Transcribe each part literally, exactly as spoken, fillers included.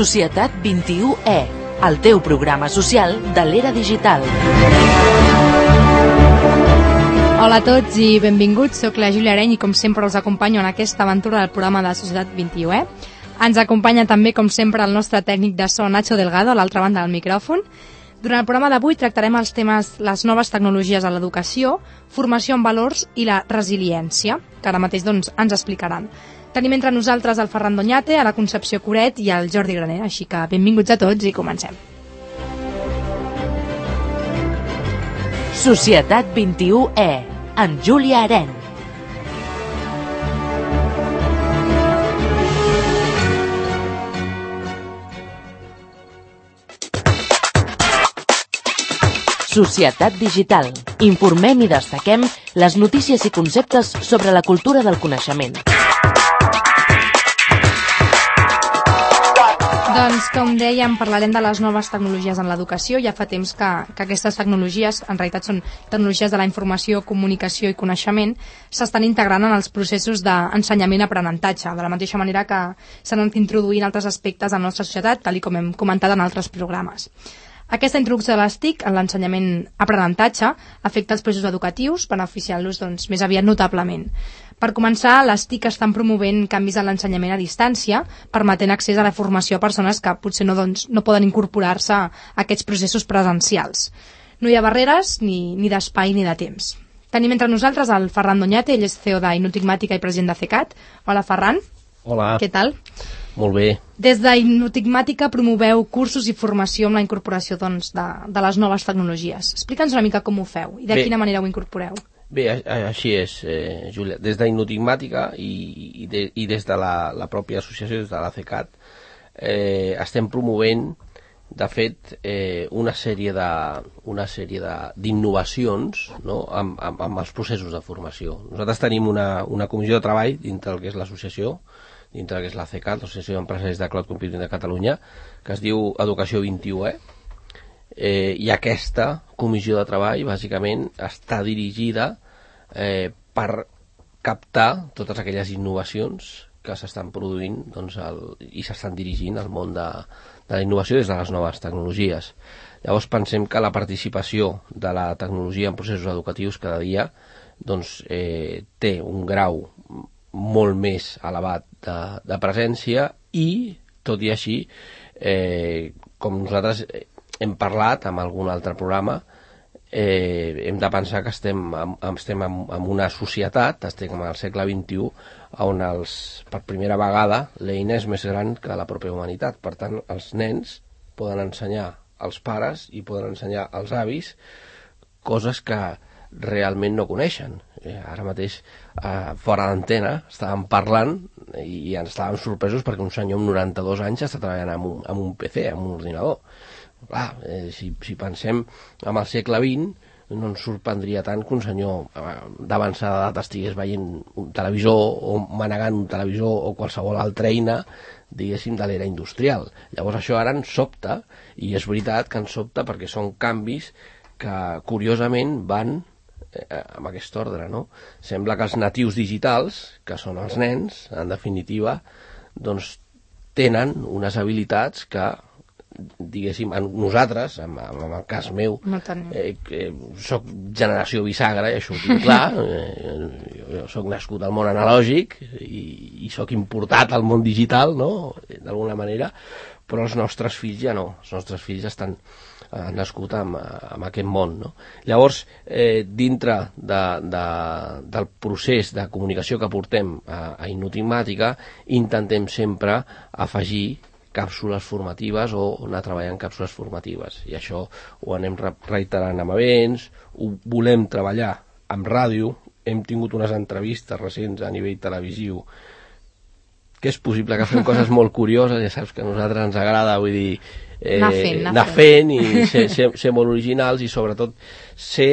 Societat vint-i-u E, el teu programa social de l'era digital. Hola a tots i benvinguts, soc la Júlia Areny i com sempre us acompanyo en aquesta aventura del programa de Societat vint-i-u E. Ens acompanya també, com sempre, el nostre tècnic de so, Nacho Delgado, a l'altra banda del micròfon. Durant el programa d'avui tractarem els temes les noves tecnologies a l'educació, formació en valors i la resiliència, que ara mateix doncs, ens explicaran. Tenim entre nosaltres el Ferran Doñate, a la Concepció Coret i el Jordi Graner, així que benvinguts a tots i comencem. Societat vint-i-u E, amb Júlia Areny. Societat digital. Informem i destaquem les notícies i conceptes sobre la cultura del coneixement. Doncs, com dèiem, parlarem de les noves tecnologies en l'educació. Ja fa temps que, que aquestes tecnologies, en realitat són tecnologies de la informació, comunicació i coneixement, s'estan integrant en els processos d'ensenyament-aprenentatge, de la mateixa manera que s'han anat introduint altres aspectes de la nostra societat, tal com hem comentat en altres programes. Aquesta introducció de les T I C en l'ensenyament-aprenentatge afecta els processos educatius, beneficiant-los doncs, més aviat notablement. Per començar, les T I C estan promovent canvis en l'ensenyament a distància, permetent accés a la formació a persones que potser no, doncs, no poden incorporar-se a aquests processos presencials. No hi ha barreres ni, ni d'espai ni de temps. Tenim entre nosaltres el Ferran Doñate, ell és C E O d'Inotigmàtica i president de CECAT. Hola, Ferran. Hola. Què tal? Molt bé. Des d'Inotigmàtica promoveu cursos i formació amb la incorporació doncs, de, de les noves tecnologies. Explica'ns una mica com ho feu i de bé, quina manera ho incorporeu. Bé, així és, eh, Júlia. Des d'Inotigmàtica i, i, de, i des de la, la pròpia associació, des de la CECAT, eh, estem promovent, de fet, eh, una sèrie de, una sèrie de, d'innovacions, no?, amb, amb, amb els processos de formació. Nosaltres tenim una, una comissió de treball dintre del que és l'associació, dintre del que és la CECAT, l'Associació d'Empresaris de Cloud Computing de Catalunya, que es diu Educació vint-i-u E, eh, i aquesta comissió de treball, bàsicament, està dirigida eh, per captar totes aquelles innovacions que s'estan produint doncs, el, i s'estan dirigint al món de, de la innovació des de les noves tecnologies. Llavors pensem que la participació de la tecnologia en processos educatius cada dia doncs, eh, té un grau molt més elevat de, de presència i, tot i així, eh, com nosaltres hem parlat en algun altre programa, eh, hem de pensar que estem, estem en, en una societat, estem al segle vint-i-u, on els, per primera vegada l'eina és més gran que la pròpia humanitat. Per tant, els nens poden ensenyar als pares i poden ensenyar als avis coses que realment no coneixen. Eh, ara mateix, eh, fora d'antena, estàvem parlant i ens estàvem sorpresos perquè un senyor amb noranta-dos anys està treballant amb un, amb un P C, amb un ordinador. Clar, eh, si, si pensem en el segle vint, no ens sorprendria tant que un senyor eh, d'avançada edat estigués veient un televisor o manegant un televisor o qualsevol altra eina, diguéssim, de l'era industrial. Llavors això ara ens sobta, i és veritat que ens sobta perquè són canvis que, curiosament, van amb aquest ordre, no? Sembla que els natius digitals, que són els nens, en definitiva, doncs tenen unes habilitats que, diguéssim, nosaltres, en, en el cas meu, no eh, que soc generació bisagra, i això ho tinc clar, eh, jo soc nascut al món analògic i, i soc importat al món digital, no?, d'alguna manera, però els nostres fills ja no, els nostres fills estan han nascut amb, amb aquest món, no? Llavors, eh, dintre de, de, del procés de comunicació que portem a, a Inotigmàtica, intentem sempre afegir càpsules formatives o anar treballant càpsules formatives, i això ho anem reiterant amb events, ho volem treballar amb ràdio, hem tingut unes entrevistes recents a nivell televisiu que és possible que fem coses molt curioses, ja saps que a nosaltres ens agrada, vull dir, eh, anar fent, anar anar fent i ser, ser, ser molt originals i sobretot ser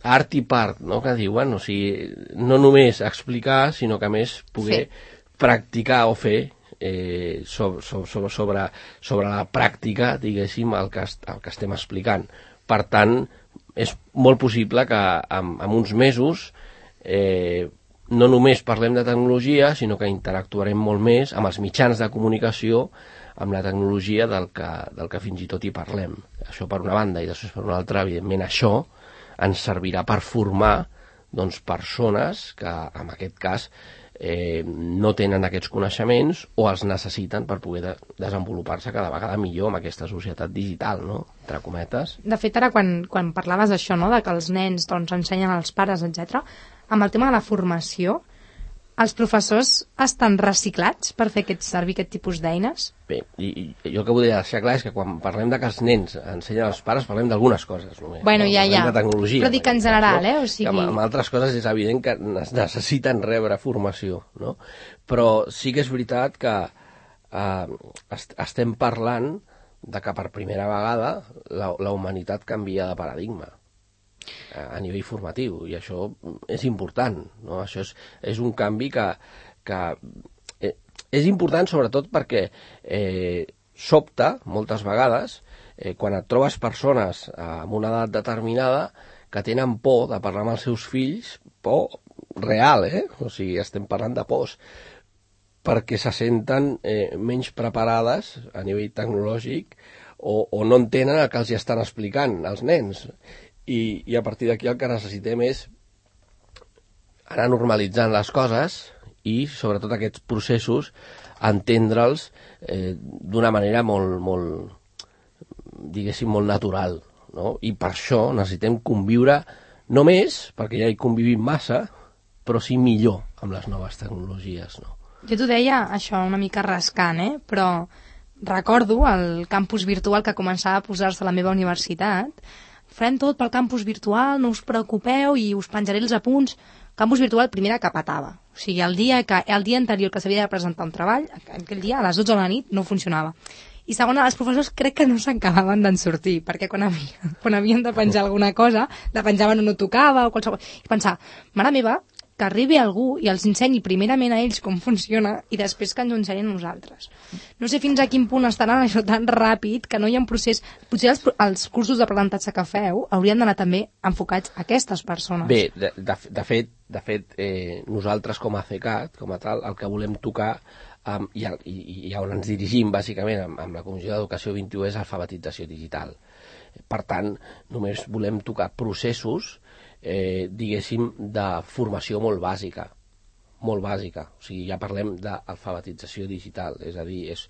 art i part, no? Que diuen, o sigui, no només explicar, sinó que a més poder sí. practicar o fer eh, sobre, sobre, sobre, sobre la pràctica, diguéssim, el que, el que estem explicant. Per tant, és molt possible que en, en uns mesos eh, no només parlem de tecnologia, sinó que interactuarem molt més amb els mitjans de comunicació, amb la tecnologia del que, del que fins i tot hi parlem. Això per una banda, i després per una altra, evidentment això ens servirà per formar doncs, persones que, en aquest cas, eh, no tenen aquests coneixements o els necessiten per poder de desenvolupar-se cada vegada millor amb aquesta societat digital, no? Entre cometes. De fet, ara quan, quan parlaves d'això, no? De que els nens doncs, ensenyen als pares, etcètera, amb el tema de la formació, els professors estan reciclats per fer aquest, servir aquest tipus d'eines? Bé, i, i jo el que volia deixar clar és que quan parlem de que els nens ensenyen als pares parlem d'algunes coses només. Bueno, no? ja, Parlem ja. de tecnologia. Però dic en general, eh? O sigui... Amb, amb altres coses és evident que necessiten rebre formació, no? Però sí que és veritat que eh, est estem parlant de que per primera vegada la, la humanitat canvia de paradigma a nivell formatiu, i això és important, no? Això és, és un canvi que, que eh, és important sobretot perquè eh, sobta moltes vegades eh, quan et trobes persones eh, amb una edat determinada que tenen por de parlar amb els seus fills, por real, eh? O sigui, estem parlant de pors, perquè se senten eh, menys preparades a nivell tecnològic o, o no entenen el que els hi estan explicant els nens. I, i a partir d'aquí el que necessitem és anar normalitzant les coses i, sobretot aquests processos, entendre'ls eh, d'una manera molt, molt, diguéssim, molt natural, no? I per això necessitem conviure, no més, perquè ja hi convivim massa, però sí millor amb les noves tecnologies, no? Jo t'ho deia, això, una mica rascant, eh? Però recordo el campus virtual que començava a posar-se a la meva universitat. Farem tot pel campus virtual, no us preocupeu i us penjaré els apunts. Campus virtual, primera, que petava. O sigui, el dia, que, el dia anterior que s'havia de presentar un treball, aquell dia, a les dotze de la nit, no funcionava. I segona, els professors crec que no s'acabaven d'en sortir, perquè quan, havia, quan havien de penjar alguna cosa, la penjaven o no tocava, o qualsevol... I pensar, mare meva, que arribi algú i els ensenyi primerament a ells com funciona i després que ens ho ensenyin a nosaltres. No sé fins a quin punt estaran això tan ràpid que no hi ha un procés... Potser els, els cursos d'aprenentatge que feu haurien d'anar també enfocats a aquestes persones. Bé, de, de, de fet, de fet eh, nosaltres com a CECAT, com a tal, el que volem tocar um, i, i, i on ens dirigim bàsicament amb, amb la Comissió d'Educació vint i u és alfabetització digital. Per tant, només volem tocar processos Eh, diguéssim, de formació molt bàsica, molt bàsica. O sigui, ja parlem d'alfabetització digital, és a dir, és,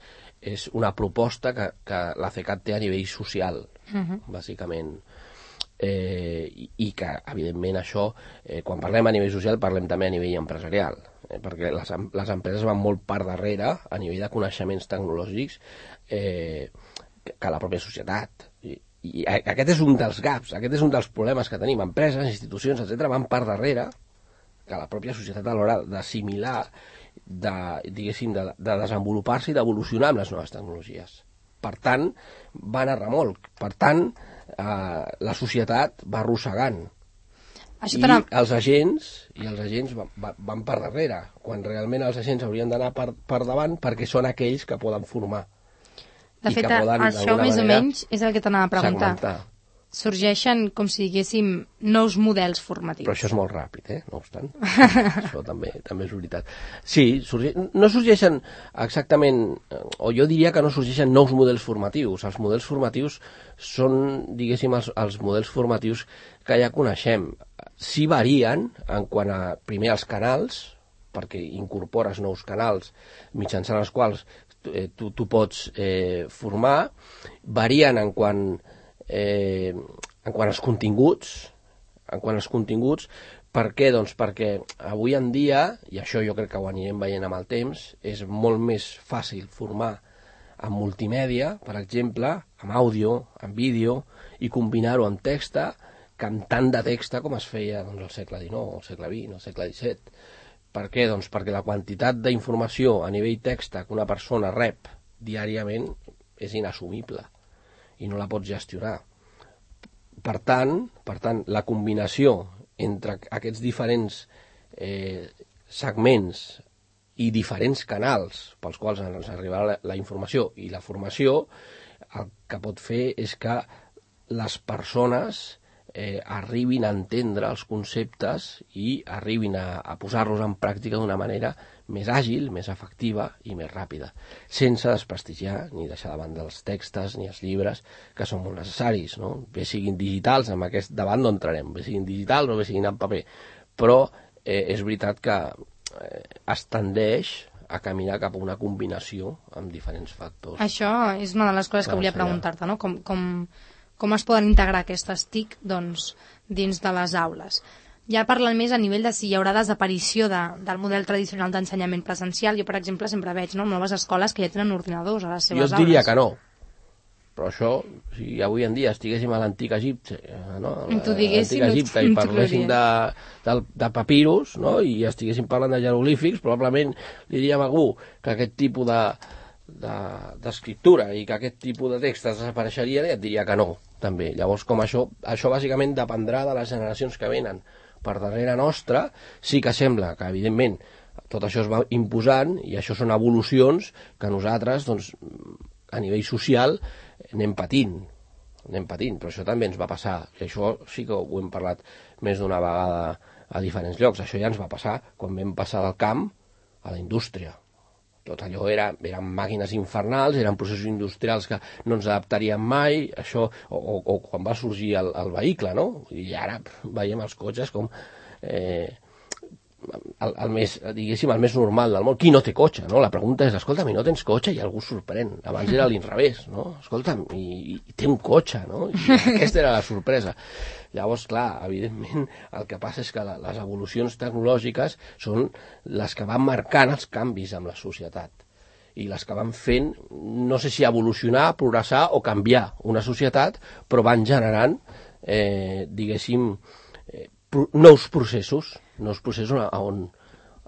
és una proposta que, que la CECAT té a nivell social, uh-huh. bàsicament. Eh, i, I que, evidentment, això, eh, quan parlem a nivell social, parlem també a nivell empresarial, eh, perquè les, les empreses van molt per darrere, a nivell de coneixements tecnològics, eh, que, que la pròpia societat. I, I aquest és un dels gaps, aquest és un dels problemes que tenim. Empreses, institucions, etcètera, van per darrere que la pròpia societat a l'hora d'assimilar, de, diguéssim, de, de desenvolupar-se i d'evolucionar amb les noves tecnologies. Per tant, van a remolc. Per tant, eh, la societat va arrossegant. Això I els agents, i els agents van, van per darrere, quan realment els agents haurien d'anar per, per davant perquè són aquells que poden formar. De fet, això més o menys és el que t'anava a preguntar. Segmentar. Sorgeixen, com si diguéssim, nous models formatius. Però això és molt ràpid, eh? No obstant. Això també també és veritat. Sí, sorge... no sorgeixen exactament, o jo diria que no sorgeixen nous models formatius. Els models formatius són, diguéssim, els, els models formatius que ja coneixem. Sí varien en quant a, primer, els canals, perquè incorpores nous canals mitjançant els quals Eh, tu, tu pots eh, formar, varien en quant, eh, en quant als continguts, en quant als continguts. Per què? Doncs perquè avui en dia, i això jo crec que ho anirem veient amb el temps, és molt més fàcil formar en multimèdia, per exemple, amb àudio, amb vídeo, i combinar-ho amb texta, que amb tant de texta com es feia doncs, al segle dinou, al segle vint, al segle disset. Per què? Doncs perquè la quantitat d'informació a nivell texta que una persona rep diàriament és inassumible i no la pots gestionar. Per tant, per tant la combinació entre aquests diferents eh, segments i diferents canals pels quals ens arribarà la, la informació i la formació, el que pot fer és que les persones eh, arribin a entendre els conceptes i arribin a, a posar-los en pràctica d'una manera més àgil, més efectiva i més ràpida, sense desprestigiar ni deixar de banda els textos ni els llibres, que són molt necessaris, no? Bé siguin digitals, amb aquest debat no entrarem, bé siguin digitals o bé siguin en paper, però eh, és veritat que eh, es tendeix a caminar cap a una combinació amb diferents factors. Això és una de les coses que volia preguntar-te, no? Com, com, com es poden integrar aquestes T I C doncs, dins de les aules? Ja parlant més a nivell de si hi haurà desaparició de, del model tradicional d'ensenyament presencial. Jo, per exemple, sempre veig no, noves escoles que ja tenen ordinadors a les seves aules. Jo et diria que no. Però això, si avui en dia estiguéssim a l'antic Egipte, no? l'antic Egipte i parléssim de, de, de papirus, no? I estiguéssim parlant de jeroglífics, probablement li diríem a algú que aquest tipus de d'escriptura i que aquest tipus de textos desapareixerien i et diria que no, també. Llavors, com això, això bàsicament dependrà de les generacions que venen per darrere nostra. Sí que sembla que, evidentment, tot això es va imposant i això són evolucions que nosaltres, doncs, a nivell social, anem patint, anem patint, però això també ens va passar, i això sí que ho hem parlat més d'una vegada a diferents llocs. Això ja ens va passar quan vam passar del camp a la indústria. Tot allò era, eren màquines infernals, eren processos industrials que no ens adaptaríem mai, això, o, o, o quan va sorgir el, el vehicle, no? I ara veiem els cotxes com eh, el, el més, diguéssim, el més normal del món. Qui no té cotxe, no? La pregunta és, escolta'm, i no tens cotxe? I algú sorprèn. Abans era l'inrevés, no? Escolta'm, i, i té un cotxe, no? I aquesta era la sorpresa. Llavors, clar, evidentment, el que passa és que la, les evolucions tecnològiques són les que van marcant els canvis amb la societat i les que van fent, no sé si evolucionar, progressar o canviar una societat, però van generant, eh, diguéssim, eh, pro, nous processos, nous processos on,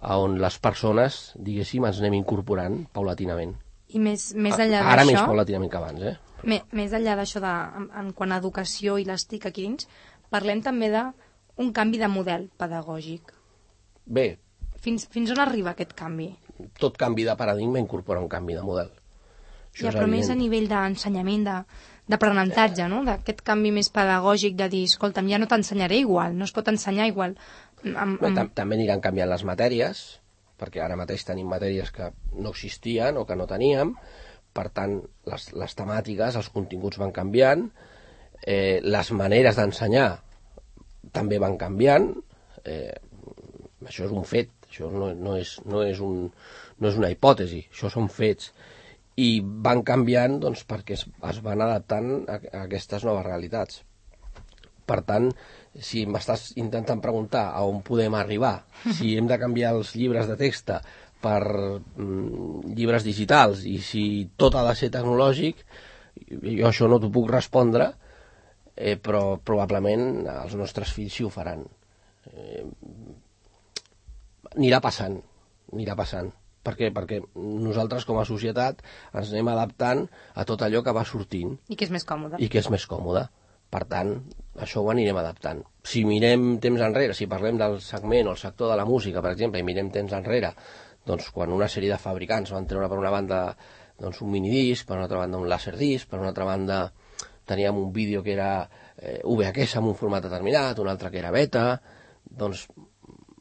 on les persones, diguéssim, ens anem incorporant paulatinament. I més, més enllà d'això... Ara més paulatinament que abans, eh? Més, més enllà d'això, de, en, en quant a educació i les T I C aquí dins, parlem també d'un canvi de model pedagògic. Bé. Fins, fins on arriba aquest canvi? Tot canvi de paradigma incorpora un canvi de model. Això ja, però evident. Més a nivell d'ensenyament, d'aprenentatge, no? D'aquest canvi més pedagògic de dir, escolta'm, ja no t'ensenyaré igual, no es pot ensenyar igual. Amb, amb... Bé, també aniran canviant les matèries, perquè ara mateix tenim matèries que no existien o que no teníem, per tant, les, les temàtiques, els continguts van canviant, eh, les maneres d'ensenyar també van canviant, eh, això és un fet, això no, no, és, no, és un, no és una hipòtesi, això són fets, i van canviant doncs, perquè es, es van adaptant a, a aquestes noves realitats. Per tant, si m'estàs intentant preguntar a on podem arribar, si hem de canviar els llibres de text per mm, llibres digitals i si tot ha de ser tecnològic, jo això no t'ho puc respondre, eh, però probablement els nostres fills sí ho faran. Eh, anirà passant, anirà passant. Per què? Perquè nosaltres com a societat ens anem adaptant a tot allò que va sortint. I que és més còmode. I que és més còmode. Per tant, això ho anirem adaptant. Si mirem temps enrere, si parlem del segment o el sector de la música, per exemple, i mirem temps enrere, doncs quan una sèrie de fabricants van treure per una banda doncs, un minidisc, per una altra banda un laserdisc, per una altra banda teníem un vídeo que era eh, V H S amb un format determinat, un altre que era beta, doncs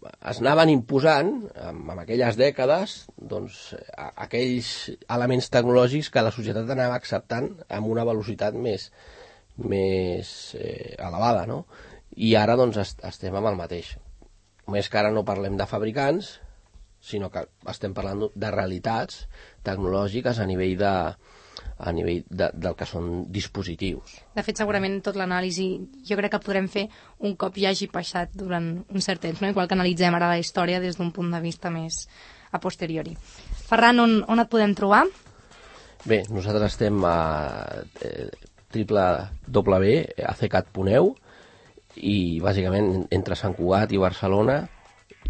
es anaven imposant, en, en aquelles dècades, doncs, a, aquells elements tecnològics que la societat anava acceptant amb una velocitat més, més eh, elevada, no? I ara doncs est estem amb el mateix. Només que ara no parlem de fabricants, sinó que estem parlant de realitats tecnològiques a nivell de, a nivell de, del que són dispositius. De fet, segurament tot l'anàlisi jo crec que podrem fer un cop ja hagi passat durant un cert temps, no? Igual que analitzem ara la història des d'un punt de vista més a posteriori. Ferran, on, on et podem trobar? Bé, nosaltres estem a eh, triple w a c cat punt e u i bàsicament entre Sant Cugat i Barcelona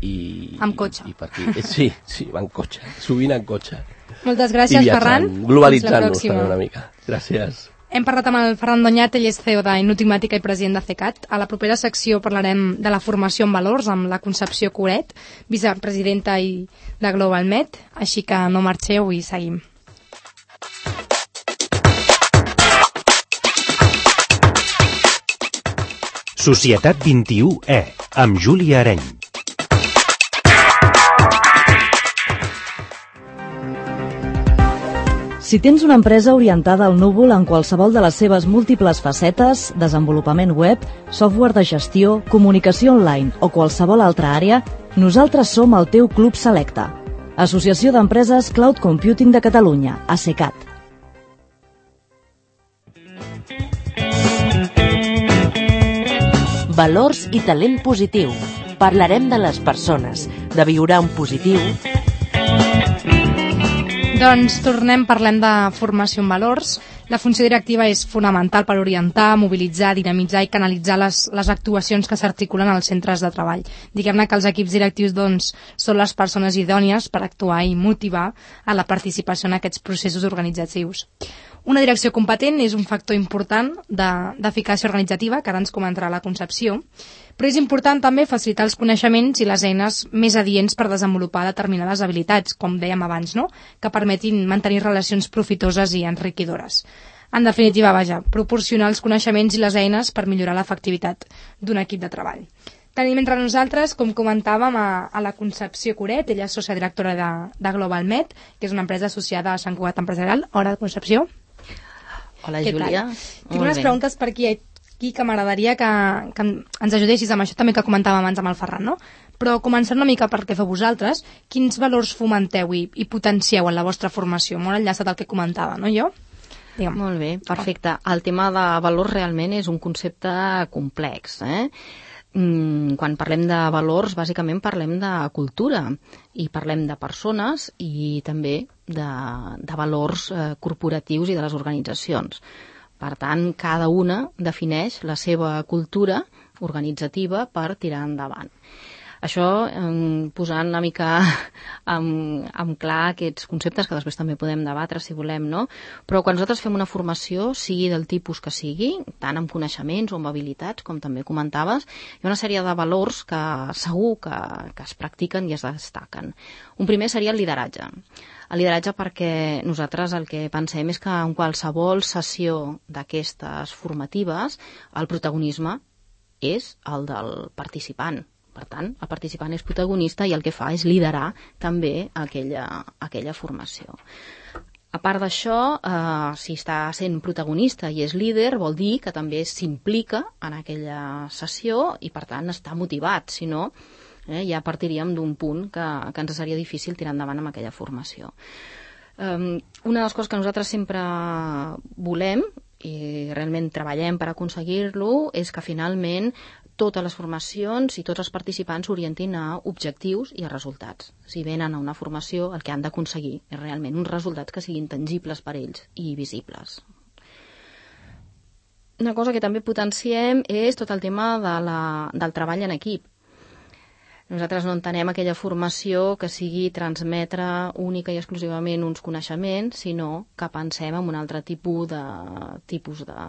i, amb cotxe. I, i per aquí. Sí, sí, va en cotxe, sovint en cotxe. Moltes gràcies, Ferran. Globalitzant-nos també una mica. Gràcies. Hem parlat amb el Ferran Doñat, ell és C E O d'Enigmàtica i president de C E C A T. A la propera secció parlarem de la formació en valors amb la Concepció Coret, vicepresidenta i de GlobalMed, així que no marxeu i seguim. Societat vint-i-u E, amb Júlia Areny. Si tens una empresa orientada al núvol en qualsevol de les seves múltiples facetes, desenvolupament web, software de gestió, comunicació online o qualsevol altra àrea, nosaltres som el teu club selecte. Associació d'Empreses Cloud Computing de Catalunya, ASECAT. Valors i talent positiu. Parlarem de les persones, de viure en positiu. Doncs tornem, parlem de formació en valors. La funció directiva és fonamental per orientar, mobilitzar, dinamitzar i canalitzar les, les actuacions que s'articulen als centres de treball. Diguem-ne que els equips directius doncs, són les persones idònies per actuar i motivar a la participació en aquests processos organitzatius. Una direcció competent és un factor important d'eficàcia organitzativa, que ara ens comentarà la Concepció, però és important també facilitar els coneixements i les eines més adients per desenvolupar determinades habilitats, com dèiem abans, no? Que permetin mantenir relacions profitoses i enriquidores. En definitiva, vaja, proporcionar els coneixements i les eines per millorar l'efectivitat d'un equip de treball. Tenim entre nosaltres, com comentàvem, a, a la Concepció Coret. Ella és sòcia directora de, de GlobalMed, que és una empresa associada a Sant Cugat Empresarial. Hola, Concepció. Hola, Júlia. Tinc unes preguntes per aquí, aquí que m'agradaria que, que ens ajudessis amb això també que comentàvem abans amb el Ferran, no? Però començant una mica per què feu vosaltres, quins valors fomenteu i, i potencieu en la vostra formació? Molt enllaçat al que comentava, no, jo? Digue'm. Molt bé, perfecte. El tema de valors realment és un concepte complex, eh? Mm, quan parlem de valors, bàsicament parlem de cultura i parlem de persones i també de, de valors eh, corporatius i de les organitzacions. Per tant, cada una defineix la seva cultura organitzativa per tirar endavant. Això eh, posant una mica en, en clar aquests conceptes que després també podem debatre si volem, no? Però quan nosaltres fem una formació, sigui del tipus que sigui, tant amb coneixements o amb habilitats, com també comentaves, hi ha una sèrie de valors que segur que, que es practiquen i es destaquen. Un primer seria el lideratge. El lideratge perquè nosaltres el que pensem és que en qualsevol sessió d'aquestes formatives el protagonisme és el del participant. Per tant, el participant és protagonista i el que fa és liderar també aquella, aquella formació. A part d'això, eh, si està sent protagonista i és líder, vol dir que també s'implica en aquella sessió i, per tant, està motivat. Si no, eh, ja partiríem d'un punt que, que ens seria difícil tirar endavant amb aquella formació. Um, una de les coses que nosaltres sempre volem i realment treballem per aconseguir-lo és que finalment totes les formacions i tots els participants s'orientin a objectius i a resultats. Si venen a una formació, el que han d'aconseguir és realment uns resultats que siguin tangibles per ells i visibles. Una cosa que també potenciem és tot el tema de la, del treball en equip. Nosaltres no entenem aquella formació que sigui transmetre única i exclusivament uns coneixements, sinó que pensem en un altre tipus de, tipus de,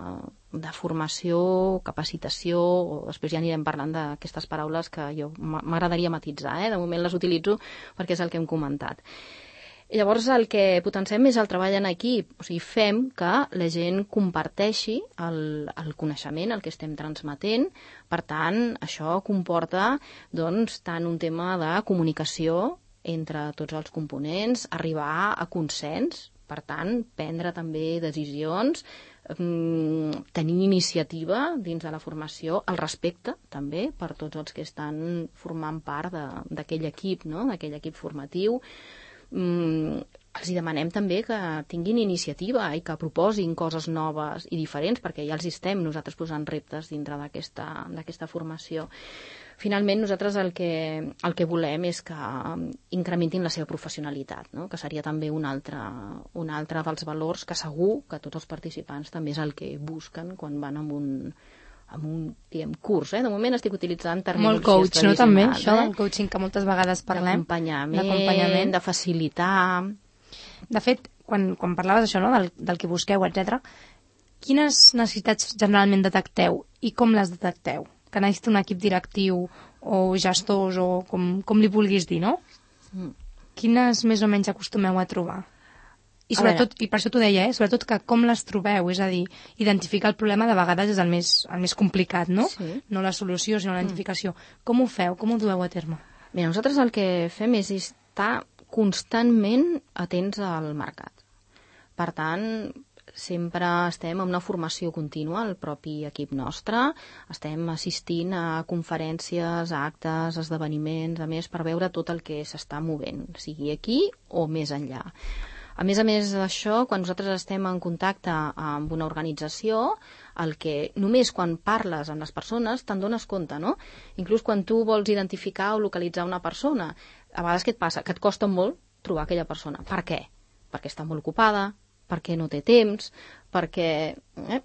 de formació, capacitació, o després ja anirem parlant d'aquestes paraules que jo m'agradaria matitzar, eh? De moment les utilitzo perquè és el que hem comentat. I llavors el que potenciem és el treball en equip, o sigui, fem que la gent comparteixi el, el coneixement, el que estem transmetent. Per tant, això comporta doncs, tant un tema de comunicació entre tots els components, arribar a consens, per tant, prendre també decisions, tenir iniciativa dins de la formació, el respecte també per tots els que estan formant part d'aquell equip, no? D'aquell equip formatiu. Mm, els hi demanem també que tinguin iniciativa i que proposin coses noves i diferents, perquè ja els estem nosaltres posant reptes dintre d'aquesta d'aquesta formació. Finalment, nosaltres el que, el que volem és que incrementin la seva professionalitat, no? Que seria també un altre, un altre dels valors que segur que tots els participants també és el que busquen quan van amb un amb un, diguem, curs, eh? De moment estic utilitzant terminologies molt coach, no, també, eh? això del coaching que moltes vegades parlem. D'acompanyament, de facilitar. De fet, quan, quan parlaves d'això, no? del, del que busqueu, etcètera, quines necessitats generalment detecteu i com les detecteu? Que necessita un equip directiu o gestors o com, com li vulguis dir, no? Mm. Quines més o menys acostumeu a trobar? I sobretot, i per això t'ho deia, eh? sobretot que com les trobeu, és a dir, identificar el problema de vegades és el més, el més complicat, no? Sí. No la solució, sinó la identificació. Mm. Com ho feu? Com ho dueu a terme? Bé, nosaltres el que fem és estar constantment atents al mercat. Per tant, sempre estem en una formació contínua, el propi equip nostre, estem assistint a conferències, a actes, esdeveniments, a més, per veure tot el que s'està movent, sigui aquí o més enllà. A més a més d'això, quan nosaltres estem en contacte amb una organització, el que només quan parles amb les persones te'n dones compte, no? Inclús quan tu vols identificar o localitzar una persona, a vegades què et passa? Que et costa molt trobar aquella persona. Per què? Perquè està molt ocupada, perquè no té temps, perquè eh,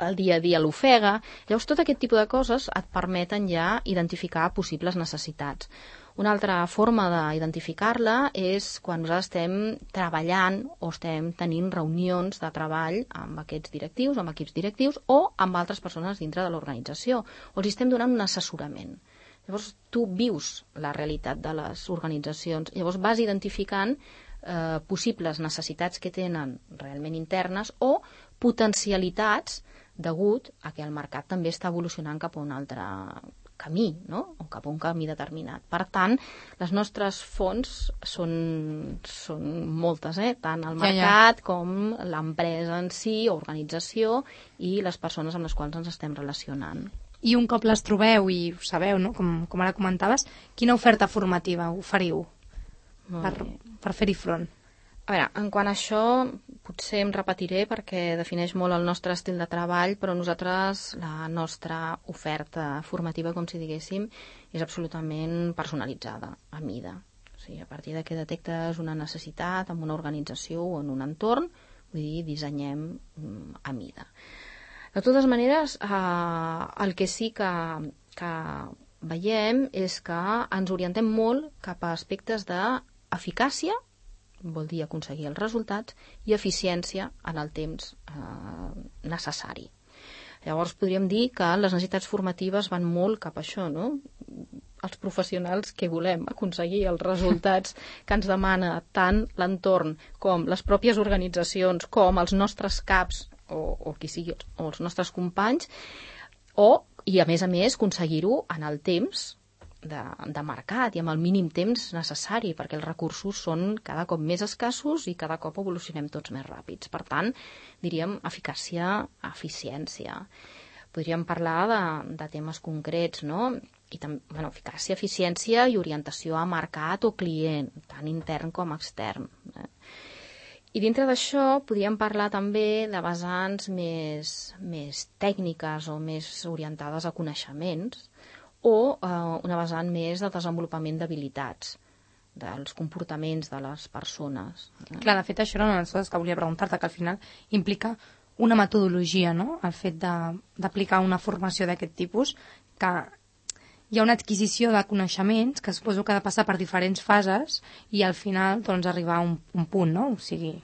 el dia a dia l'ofega. Llavors, tot aquest tipus de coses et permeten ja identificar possibles necessitats. Una altra forma d'identificar-la és quan nosaltres estem treballant o estem tenint reunions de treball amb aquests directius, amb equips directius o amb altres persones dintre de l'organització, o els estem donant un assessorament. Llavors, tu vius la realitat de les organitzacions, llavors vas identificant eh, possibles necessitats que tenen realment internes o potencialitats degut a que el mercat també està evolucionant cap a un altre camí, no? O cap a un camí determinat. Per tant, les nostres fonts són, són moltes, eh? Tant el mercat ja, ja. com l'empresa en si, o organització, i les persones amb les quals ens estem relacionant. I un cop les trobeu i ho sabeu, no? com, com ara comentaves, quina oferta formativa oferiu per, per fer-hi front? A veure, en quant a això, potser em repetiré perquè defineix molt el nostre estil de treball, però nosaltres, la nostra oferta formativa, com si diguéssim, és absolutament personalitzada, a mida. O sigui, a partir de que detectes una necessitat en una organització o en un entorn, vull dir, dissenyem a mida. De totes maneres, eh, el que sí que, que veiem és que ens orientem molt cap a aspectes d'eficàcia, vol dir aconseguir els resultats, i eficiència en el temps eh, necessari. Llavors podríem dir que les necessitats formatives van molt cap a això, no? Els professionals que volem aconseguir els resultats que ens demana tant l'entorn com les pròpies organitzacions, com els nostres caps o, o qui sigui, o els nostres companys, o, i a més a més, aconseguir-ho en el temps De, de mercat i amb el mínim temps necessari, perquè els recursos són cada cop més escassos i cada cop evolucionem tots més ràpids. Per tant, diríem eficàcia, eficiència. Podríem parlar de, de temes concrets, no? I també, bueno, eficàcia, eficiència i orientació a mercat o client, tant intern com extern. Eh? I dintre d'això podríem parlar també de vessants més, més tècniques o més orientades a coneixements, o eh, una vessant més de desenvolupament d'habilitats, dels comportaments de les persones. Clar, de fet, això era una de les coses que volia preguntar-te, que al final implica una metodologia, no?, el fet d'aplicar una formació d'aquest tipus, que hi ha una adquisició de coneixements que suposo que ha de passar per diferents fases i al final doncs, arribar a un, un punt, no?, o sigui,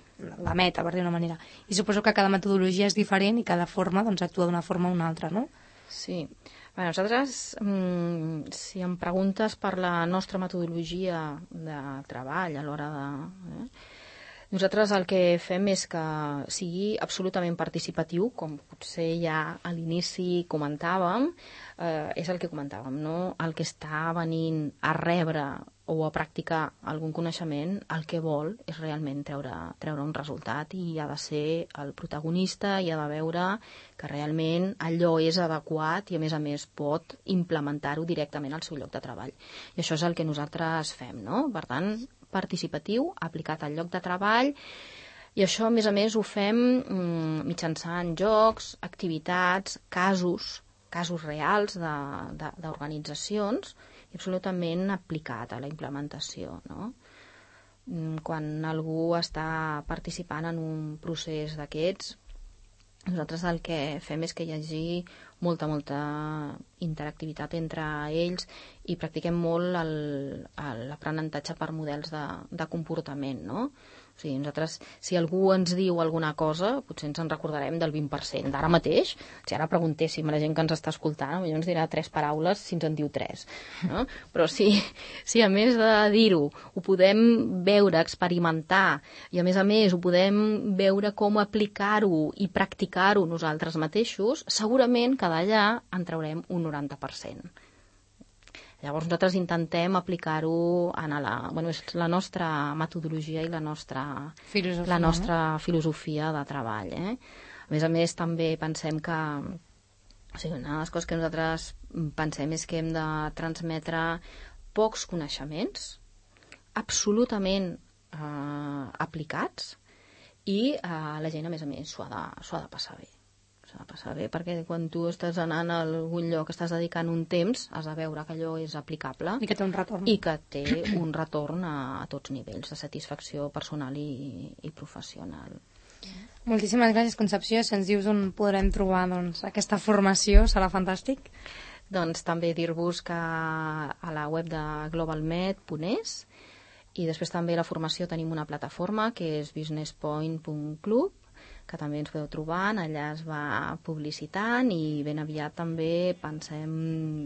la meta, per dir una manera. I suposo que cada metodologia és diferent i cada forma doncs, actua d'una forma o una altra, no? Sí. Bé, nosaltres, mmm, si em preguntes per la nostra metodologia de treball a l'hora de... Eh, nosaltres el que fem és que sigui absolutament participatiu, com potser ja a l'inici comentàvem, eh, és el que comentàvem, no? El que està venint a rebre o a practicar algun coneixement, el que vol és realment treure, treure un resultat i ha de ser el protagonista i ha de veure que realment allò és adequat i a més a més pot implementar-ho directament al seu lloc de treball. I això és el que nosaltres fem, no? Per tant, participatiu, aplicat al lloc de treball, i això a més a més ho fem mm, mitjançant jocs, activitats, casos, casos reals d'organitzacions, i absolutament aplicat a la implementació, no? Quan algú està participant en un procés d'aquests, nosaltres el que fem és que hi hagi molta, molta interactivitat entre ells i practiquem molt l'aprenentatge per models de, de comportament, no? O sigui, nosaltres, si algú ens diu alguna cosa, potser ens en recordarem del vint per cent. D'ara mateix, si ara preguntéssim a la gent que ens està escoltant, potser ens dirà tres paraules si ens en diu tres. No? Però si, si a més de dir-ho, ho podem veure, experimentar, i a més a més ho podem veure com aplicar-ho i practicar-ho nosaltres mateixos, segurament que d'allà en traurem un noranta per cent. Llavors nosaltres intentem aplicar-ho en la, bueno, és la nostra metodologia i la nostra filosofia, la nostra filosofia de treball. Eh? A més a més, també pensem que, o sigui, una de les coses que nosaltres pensem és que hem de transmetre pocs coneixements, absolutament eh, aplicats, i eh, la gent, a més a més, s'ho ha de, s'ho ha de passar bé. S'ha de passar bé, perquè quan tu estàs anant a algun lloc, estàs dedicant un temps, has de veure que allò és aplicable i que té un retorn, i que té un retorn a, a tots nivells de satisfacció personal i, i professional. Moltíssimes gràcies, Concepció. Si ens dius on podrem trobar doncs, aquesta formació, serà fantàstic. Doncs també dir-vos que a la web de globalmed punt es, i després també a la formació tenim una plataforma que és business point punt club, que també ens podeu trobar, allà es va publicitant, i ben aviat també pensem,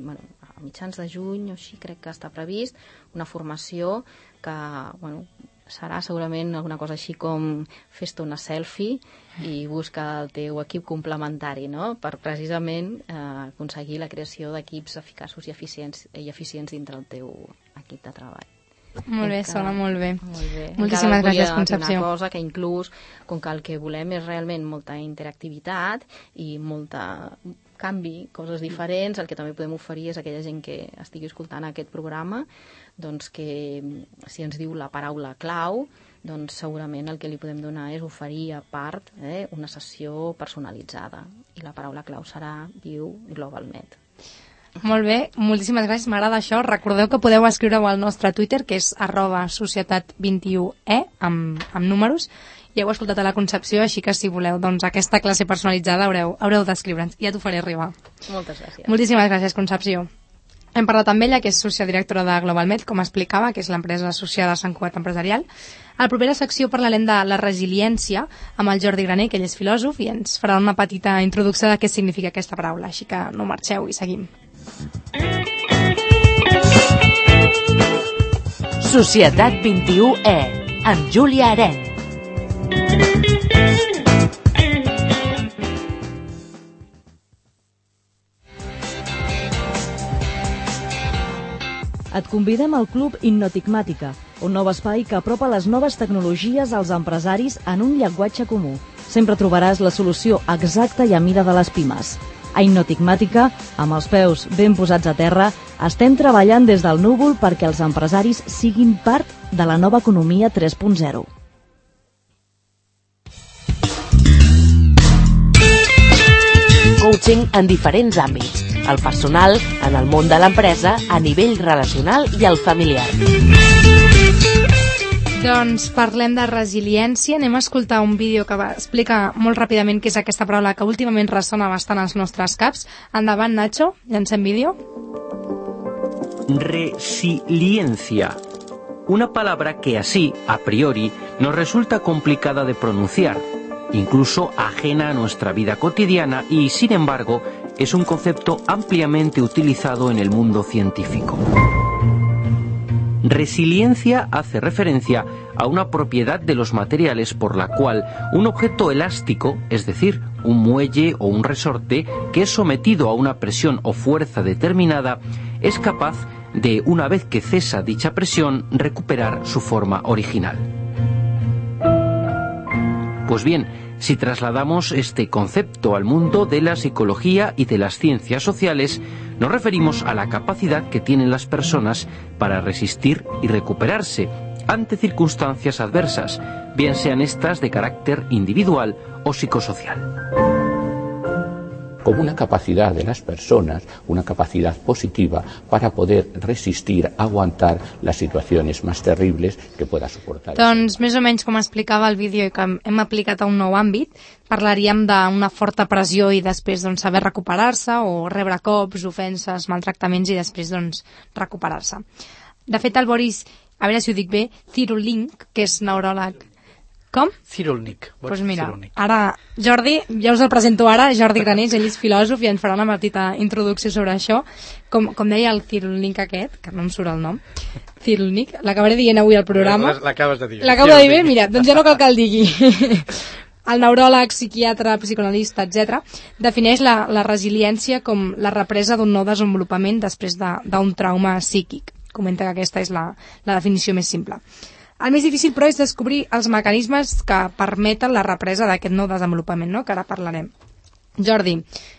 bueno, a mitjans de juny o així crec que està previst, una formació que, bueno, serà segurament alguna cosa així com fes-te una selfie i busca el teu equip complementari, no? Per precisament eh, aconseguir la creació d'equips eficaços i eficients, i eficients dintre el teu equip de treball. Molt bé, Encara, sona molt bé. molt bé. Moltíssimes gràcies, Concepció. Una cosa que inclús, com que el que volem és realment molta interactivitat i molta canvi, coses diferents, el que també podem oferir és a aquella gent que estigui escoltant aquest programa, doncs que si ens diu la paraula clau, doncs segurament el que li podem donar és oferir a part eh, una sessió personalitzada. I la paraula clau serà Viu GlobalMed. Molt bé, moltíssimes gràcies, m'agrada això. Recordeu que podeu escriure-ho al nostre Twitter, que és arroba societat vint i u e, amb, amb números. Ja heu escoltat a la Concepció, així que si voleu doncs, aquesta classe personalitzada haureu, haureu d'escriure'ns. Ja t'ho faré arribar. Moltes gràcies. Moltíssimes gràcies, Concepció. Hem parlat amb ella, que és sociodirectora de GlobalMed, com explicava, que és l'empresa associada a Sant Cugat Empresarial. A la propera secció parlarem de la resiliència amb el Jordi Graner, que ell és filòsof, i ens farà una petita introducció de què significa aquesta paraula. Així que no marxeu i seguim. Societat vint i u e, amb Júlia Arenys. Et convidem al Club Innotigmàtica, un nou espai que apropa les noves tecnologies als empresaris en un llenguatge comú. Sempre trobaràs la solució exacta i a mida de les pimes. A Innotigmàtica, amb els peus ben posats a terra, estem treballant des del núvol perquè els empresaris siguin part de la nova economia tres punt zero. Coaching en diferents àmbits. El personal, en el món de l'empresa, a nivell relacional i el familiar. Doncs parlem de resiliència. Anem a escoltar un vídeo que va explicar molt ràpidament què és aquesta paraula que últimament ressona bastant als nostres caps. Endavant, Nacho, llancem vídeo. Resiliencia. Una palabra que así, a priori, nos resulta complicada de pronunciar, incluso ajena a nuestra vida cotidiana y, sin embargo, es un concepto ampliamente utilizado en el mundo científico. Resiliencia hace referencia a una propiedad de los materiales por la cual un objeto elástico, es decir, un muelle o un resorte, que es sometido a una presión o fuerza determinada, es capaz de, una vez que cesa dicha presión, recuperar su forma original. Pues bien, si trasladamos este concepto al mundo de la psicología y de las ciencias sociales, nos referimos a la capacidad que tienen las personas para resistir y recuperarse ante circunstancias adversas, bien sean estas de carácter individual o psicosocial. Como una capacidad de las personas, una capacidad positiva para poder resistir, aguantar las situaciones más terribles que pueda soportar. Doncs més o menys com explicava el vídeo i que hem aplicat a un nou àmbit, parlaríem d'una forta pressió i després doncs, saber recuperar-se o rebre cops, ofenses, maltractaments i després doncs, recuperar-se. De fet, el Boris, a veure si ho dic bé, Cyrulnik, que és neuròleg Com? Cirulnik. Doncs pues mira, ara, Jordi, ja us el presento ara, Jordi Granés, ell és filòsof i ens farà una petita introducció sobre això. Com, com deia el Cirulnik aquest, que no em surt el nom, Cirulnik, l'acabaré dient avui al programa. L'acabes de dir. L'acabo de dir bé, mira, doncs ja no cal que el digui. El neuròleg, psiquiatre, psicoanalista, etcètera, defineix la, la resiliència com la represa d'un nou desenvolupament després d'un de, trauma psíquic. Comenta que aquesta és la, la definició més simple. El més difícil, però, és descobrir els mecanismes que permeten la represa d'aquest nou desenvolupament, no?, que ara parlarem. Jordi,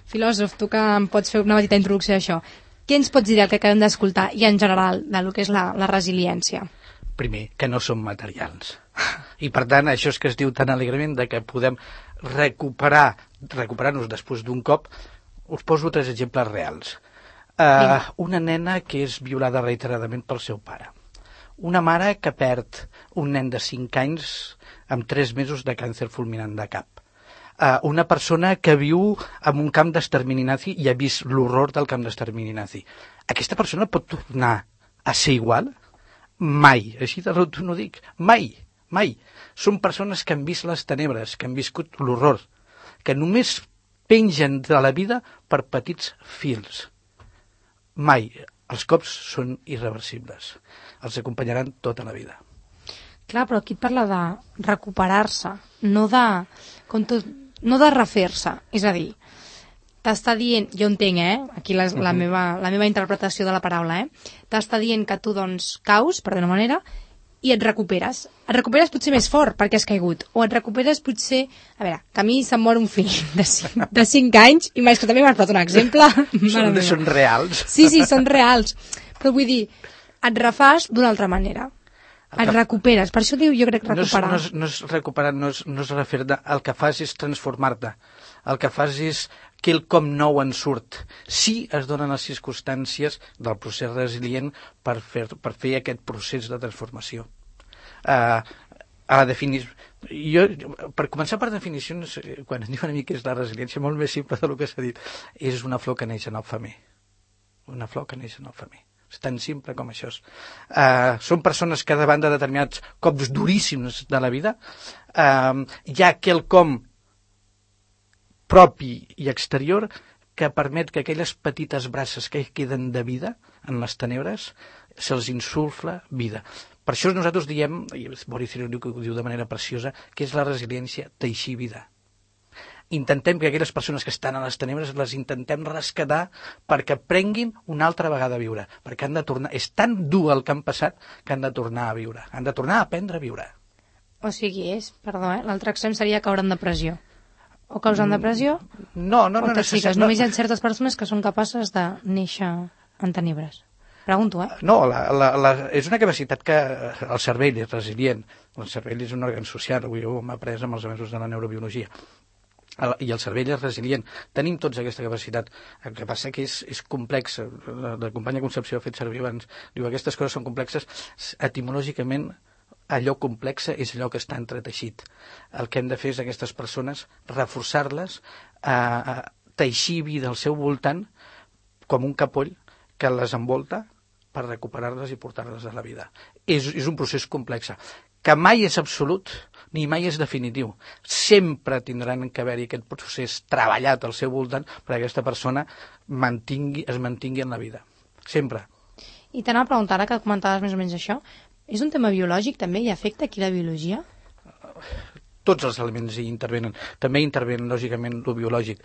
filòsof, tu que em pots fer una petita introducció d'això, què ens pots dir del que acabem d'escoltar i, en general, del que és la, la resiliència? Primer, que no són materials. I, per tant, això és que es diu tan alegrement de que podem recuperar, recuperar-nos després d'un cop. Us poso tres exemples reals. Uh, una nena que és violada reiteradament pel seu pare. Una mare que perd un nen de cinc anys amb tres mesos de càncer fulminant de cap. Uh, una persona que viu en un camp d'extermini nazi i ha vist l'horror del camp d'extermini nazi. Aquesta persona pot tornar a ser igual? Mai. Així de rot no dic. Mai. Mai. Són persones que han vist les tenebres, que han viscut l'horror, que només pengen de la vida per petits fils. Mai. Els cops són irreversibles. Els acompanyaran tota la vida. Clar, però aquí et parla de recuperar-se, no de, com tot, no de refer-se. És a dir, t'està dient, jo entenc, eh? Aquí la, la, meva, la meva interpretació de la paraula, eh? T'està dient que tu, doncs, caus, per d'una manera, i et recuperes. Et recuperes potser més fort perquè has caigut. O et recuperes potser... A veure, que a mi se'm mor un fill de cinc, de cinc anys, i més que també m'has posat un exemple. Són, són reals. Sí, sí, són reals. Però vull dir, et refàs d'una altra manera. Et recuperes. Per això diu, jo crec, recuperar. No és, no és, no és recuperar, no és, no és refer-te. El que fas és transformar-te. El que fas és quelcom nou en surt. Sí es donen les circumstàncies del procés resilient per fer, per fer aquest procés de transformació. Uh, a la definició... Jo, per començar per definicions, quan ens diuen a mi què és la resiliència, molt més simple del que s'ha dit, és una flor que neix en el femer. Una flor que neix en el femer. És tan simple com això. Uh, són persones que davant de determinats cops duríssims de la vida uh, hi ha quelcom propi i exterior que permet que aquelles petites braces que queden de vida en les tenebres se'ls insufla vida. Per això nosaltres diem, i Boris Cyrulnik ho diu de manera preciosa, que és la resiliència teixir vida. Intentem que aquelles persones que estan a les tenebres les intentem rescatar perquè prenguin una altra vegada a viure, perquè han de tornar, és tan dur el que han passat que han de tornar a viure, han de tornar a aprendre a viure. O sigui, és, perdó, eh? L'altre extrem seria caure en depressió. O causant depressió? No, no, no. O tòxiques, no, només hi ha certes persones que són capaces de néixer en tenebres. Pregunto, eh? No, la, la, la, és una capacitat que el cervell és resilient. El cervell és un òrgan social, avui ho hem après amb els avenços de la neurobiologia. El, I el cervell és resilient. Tenim tots aquesta capacitat. El que passa que és, és complex. La, la companya Concepció ha fet servir abans. Diu, aquestes coses són complexes. Etimològicament, allò complexa és allò que està entreteixit. El que hem de fer és aquestes persones reforçar-les, a teixir vida al seu voltant com un capoll que les envolta per recuperar-les i portar-les a la vida. És, és un procés complex, que mai és absolut ni mai és definitiu. Sempre tindran que haver-hi aquest procés treballat al seu voltant perquè aquesta persona mantingui, es mantingui en la vida. Sempre. I t'anava a preguntar, ara que comentaves més o menys això, és un tema biològic també? Hi afecta aquí la biologia? Tots els elements hi intervenen. També intervenen, lògicament, el biològic.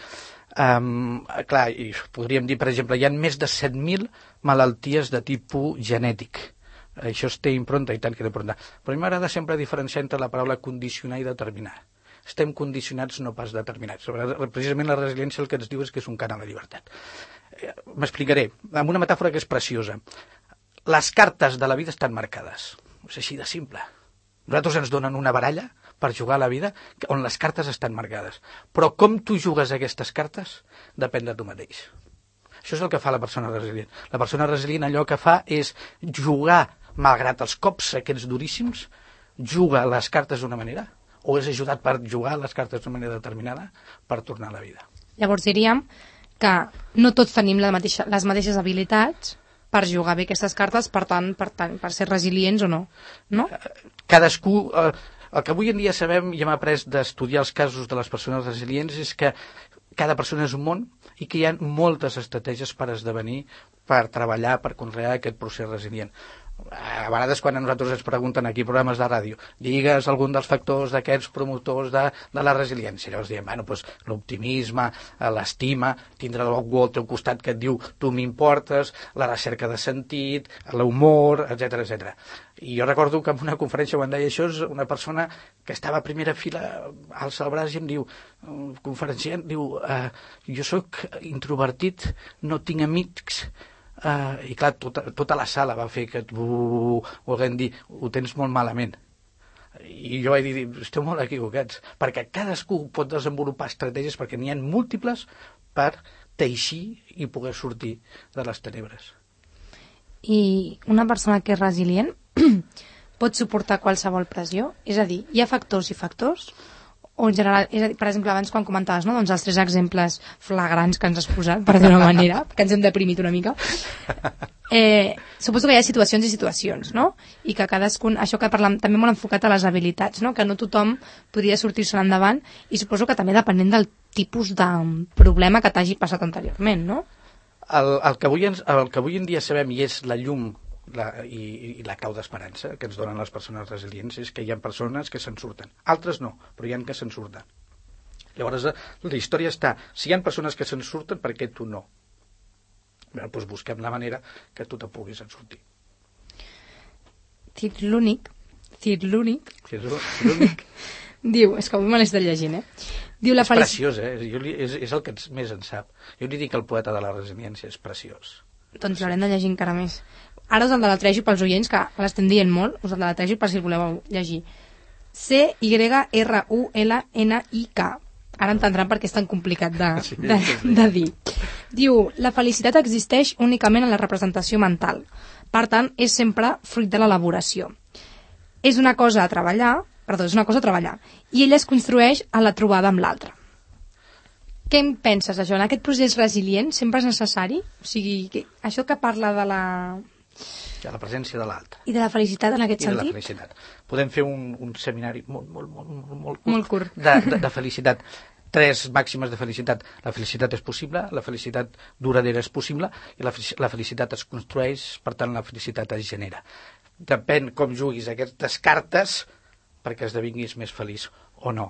Um, clar, i podríem dir, per exemple, hi ha més de set mil malalties de tipus genètic. Això es té impronta i tant que té impronta. Però a mi m'agrada sempre diferenciar entre la paraula condicionar i determinar. Estem condicionats, no pas determinats. Precisament la resiliència el que ens diu és que és un canal de llibertat. M'explicaré, amb una metàfora que és preciosa. Les cartes de la vida estan marcades. És així de simple. Nosaltres ens donen una baralla per jugar a la vida on les cartes estan marcades. Però com tu jugues aquestes cartes depèn de tu mateix. Això és el que fa la persona resilient. La persona resilient allò que fa és jugar, malgrat els cops aquests duríssims, juga les cartes d'una manera o és ajudat per jugar les cartes d'una manera determinada per tornar a la vida. Llavors diríem que no tots tenim la mateixa, les mateixes habilitats per jugar bé aquestes cartes, per tant, per, tant, per ser resilients o no, no? Cadascú... Eh, el que avui en dia sabem i hem après d'estudiar els casos de les persones resilients és que cada persona és un món i que hi ha moltes estratègies per esdevenir, per treballar, per conrear aquest procés resilient. A vegades quan a nosaltres ens pregunten aquí programes de ràdio, digues algun dels factors d'aquests promotors de, de la resiliència, llavors diem, bueno, doncs l'optimisme, l'estima, tindre algú al teu costat que et diu tu m'importes, la recerca de sentit, l'humor, etcètera, etcètera. I jo recordo que en una conferència quan deia això, una persona que estava a primera fila alça el braç i em diu, un conferenciant, diu, eh, jo sóc introvertit, no tinc amics. Uh, i clar, tota, tota la sala va fer que uh, volguem dir, ho tens molt malament, i jo vaig dir, esteu molt equivocats, perquè cadascú pot desenvolupar estratègies perquè n'hi ha múltiples per teixir i poder sortir de les tenebres. I una persona que és resilient pot suportar qualsevol pressió? És a dir, hi ha factors i factors? O en general, és a dir, per exemple, abans quan comentaves, no? Doncs els tres exemples flagrants que ens has posat, per dir-ho d'una manera, que ens hem deprimit una mica, eh, suposo que hi ha situacions i situacions, no? I que cadascun, això que parlem també molt enfocat a les habilitats, no? Que no tothom podria sortir-se endavant, i suposo que també depenent del tipus de problema que t'hagi passat anteriorment, no? El, el, que avui ens, el que avui en dia sabem, i és la llum La, i, i la clau d'esperança que ens donen les persones resilients, és que hi ha persones que se'n surten, altres no, però hi ha que se'n surten. Llavors la història està, si hi ha persones que se'n surten, per què tu no? Bé, doncs busquem la manera que tu te puguis en sortir. Tir l'únic Tir l'únic Tir l'únic diu, és que avui me l'he estat llegint, eh? Diu, la és felic... preciós, eh? Jo li, és, és el que més en sap. Jo li dic el poeta de la resiliència, és preciós. Doncs l'haurem de llegir encara més. Ara us el deletrejo pels oients, que l'estem dient molt, us el deletrejo per si el voleu llegir. C Y R U L N I K. Ara entendran per què és tan complicat de, sí, de, sí, sí. de dir. Diu, la felicitat existeix únicament en la representació mental. Per tant, és sempre fruit de l'elaboració. És una cosa a treballar, perdó, és una cosa a treballar, i ella es construeix a la trobada amb l'altre. Què en penses d'això? En aquest procés resilient sempre és necessari? O sigui, que, això que parla de la... de la presència de l'altre. I de la felicitat en aquest I sentit? I de la felicitat. Podem fer un, un seminari molt, molt, molt, molt, molt curt, molt curt. De, de, de felicitat. Tres màximes de felicitat. La felicitat és possible, la felicitat duradera és possible i la, la felicitat es construeix, per tant la felicitat es genera. Depèn com juguis aquestes cartes perquè esdevinguis més feliç o no.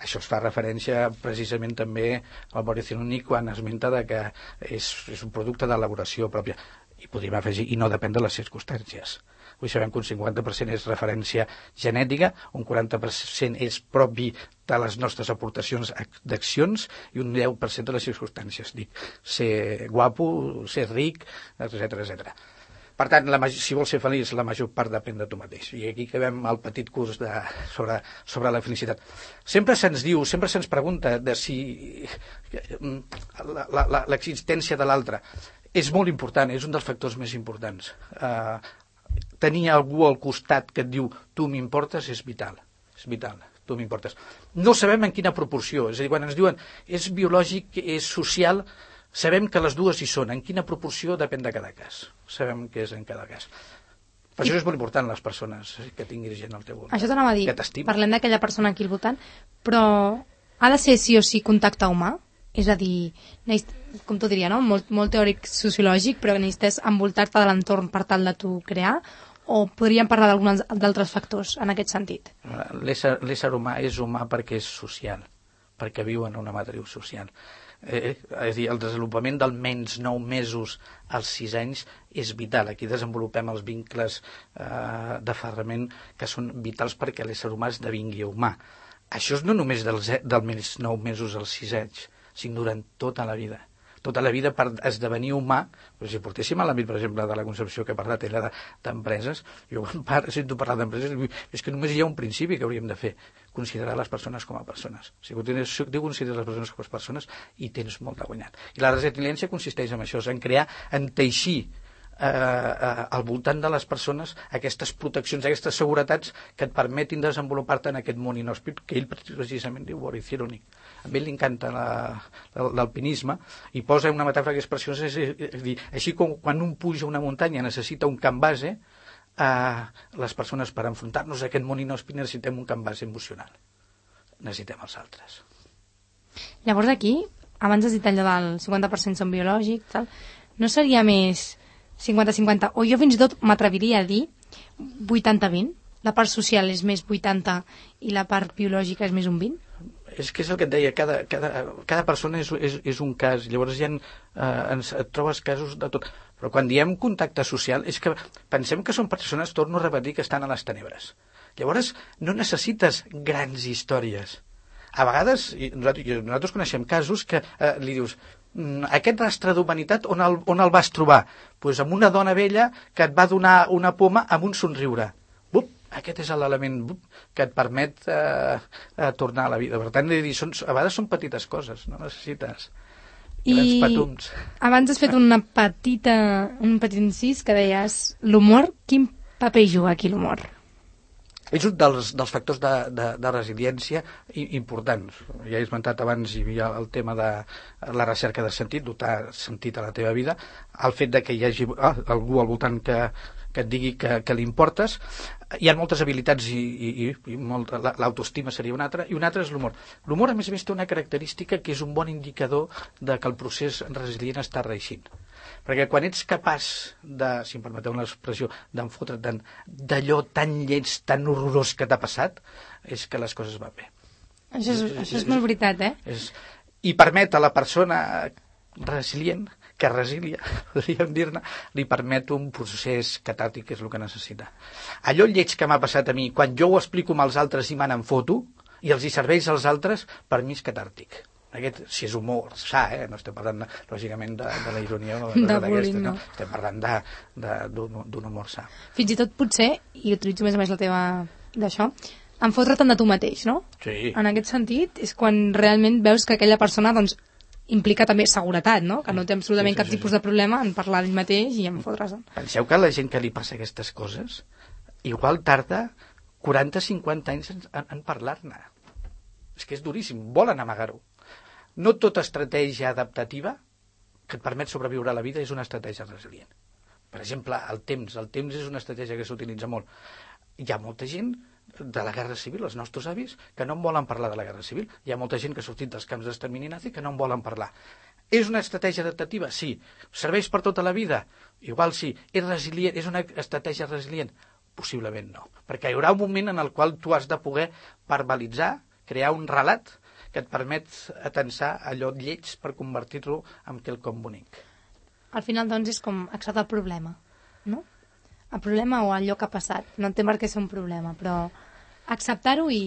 Això es fa referència precisament també al Mauricio Núñez quan esmenta de que és, és un producte d'elaboració pròpia. I podríem afegir, i no depèn de les circumstàncies. Avui sabem que un cinquanta per cent és referència genètica, un quaranta per cent és propi de les nostres aportacions d'accions i un deu per cent de les circumstàncies. Dic, ser guapo, ser ric, etcètera, etcètera. Per tant, la, si vols ser feliç, la major part depèn de tu mateix. I aquí acabem el petit curs de, sobre, sobre la felicitat. Sempre se'ns diu, sempre se'ns pregunta de si l'existència de l'altre és molt important, és un dels factors més importants. Uh, tenir algú al costat que et diu tu m'importes és vital, és vital, tu m'importes. No sabem en quina proporció, és a dir, quan ens diuen és biològic, és social, sabem que les dues hi són, en quina proporció depèn de cada cas, sabem que és en cada cas. Per això és molt important les persones que tinguis gent al teu voltant. Això t'anava a dir, que t'estima. Parlem d'aquella persona aquí al voltant, però ha de ser sí o sí contacte humà? És a dir, com t'ho diria, no? Molt, molt teòric sociològic, però necessites envoltar-te de l'entorn per tal de tu crear, o podríem parlar d'alguns d'altres factors en aquest sentit? L'ésser humà és humà perquè és social, perquè viu en una matriu social. Eh, és dir, el desenvolupament d'almenys nou mesos als sis anys és vital. Aquí desenvolupem els vincles eh, d'aferrament que són vitals perquè l'ésser humà esdevingui humà. Això és no només dels almenys nou mesos als sis anys, sinó durant tota la vida. Tota la vida per esdevenir humà, però si portéssim a l'àmbit, per exemple, de la concepció que he parlat era d'empreses, jo quan par, sento parlar d'empreses, és que només hi ha un principi que hauríem de fer, considerar les persones com a persones. Si tu consideres les persones com a persones, hi tens molt de guanyat. I la resiliència consisteix en això, en crear, en teixir Eh, eh, al voltant de les persones aquestes proteccions, aquestes seguretats que et permetin desenvolupar-te en aquest món inhòspit que ell precisament diu Mauricio Núñez. A ell li encanta l'alpinisme i posa una metàfora que és preciosa, és, és dir, així com quan un puja una muntanya necessita un camp base, uh, les persones per enfrontar-nos a aquest món inhòspit necessitem un canvas emocional. Necessitem els altres. Llavors aquí, abans has dit allò del cinquanta per cent són biològics, tal, no seria més cinquanta cinquanta? O jo fins i tot m'atreviria a dir vuitanta vint? La part social és més vuitanta i la part biològica és més un vint? És que és el que et deia, cada, cada, cada persona és, és, és un cas, llavors hi ha, eh, ens, et trobes casos de tot. Però quan diem contacte social, és que pensem que són persones, torno a repetir, que estan a les tenebres. Llavors, no necessites grans històries. A vegades, i nosaltres, nosaltres coneixem casos que eh, li dius, aquest rastre d'humanitat on el, on el vas trobar? Pues amb una dona vella que et va donar una poma amb un somriure. Bup, aquest és l'element que et permet eh, eh, tornar a la vida. Per tant, dir, són, a vegades són petites coses, no necessites grans petums. I abans has fet una petita, un petit incís que deies l'humor. Quin paper juga aquí l'humor? És un dels, dels factors de, de, de resiliència importants. Ja he esmentat abans, hi havia el tema de la recerca de sentit, dotar sentit a la teva vida, el fet de que hi hagi ah, algú al voltant que, que et digui que, que li importes. Hi ha moltes habilitats i, i, i molt, l'autoestima seria una altra, i una altra és l'humor. L'humor, a més a més, té una característica que és un bon indicador de que el procés resilient està reeixint. Perquè quan ets capaç de, si em permeteu l'expressió, d'enfotre't d'allò tan lleig, tan horrorós que t'ha passat, és que les coses van bé. Això és, és, això és molt veritat, eh? És, I permet a la persona resilient, que resilia, podríem dir-ne, li permet un procés catàrtic, que és el que necessita. Allò lleig que m'ha passat a mi, quan jo ho explico amb els altres i me n'en foto, i els hi serveix als altres, per mi és catàrtic. Aquest, si és humor sa, eh? No estem parlant, de, lògicament, de, de la ironia o de, de bullying, no? no? Estem parlant d'un humor sa. Fins i tot potser, i utilitzo més o menys la teva d'això, enfotre't de tu mateix, no? Sí. En aquest sentit, és quan realment veus que aquella persona, doncs, implica també seguretat, no? Que no té absolutament sí, sí, cap sí, tipus sí. de problema en parlar d'ell mateix i en fotre's. Penseu que la gent que li passa aquestes coses igual tarda quaranta a cinquanta anys en, en parlar-ne. És que és duríssim, volen amagar-ho. No tota estratègia adaptativa que et permet sobreviure a la vida és una estratègia resilient. Per exemple, el temps. El temps és una estratègia que s'utilitza molt. Hi ha molta gent de la Guerra Civil, els nostres avis, que no en volen parlar de la Guerra Civil. Hi ha molta gent que ha sortit dels camps d'extermini nazi que no en volen parlar. És una estratègia adaptativa? Sí. Serveix per tota la vida? Igual sí. És resilient? És una estratègia resilient? Possiblement no. Perquè hi haurà un moment en el qual tu has de poder verbalitzar, crear un relat que et permet atensar allò lleig per convertir-lo en quelcom bonic. Al final, doncs, és com acceptar el problema, no? El problema o allò que ha passat. No entenc per què és un problema, però acceptar-ho i,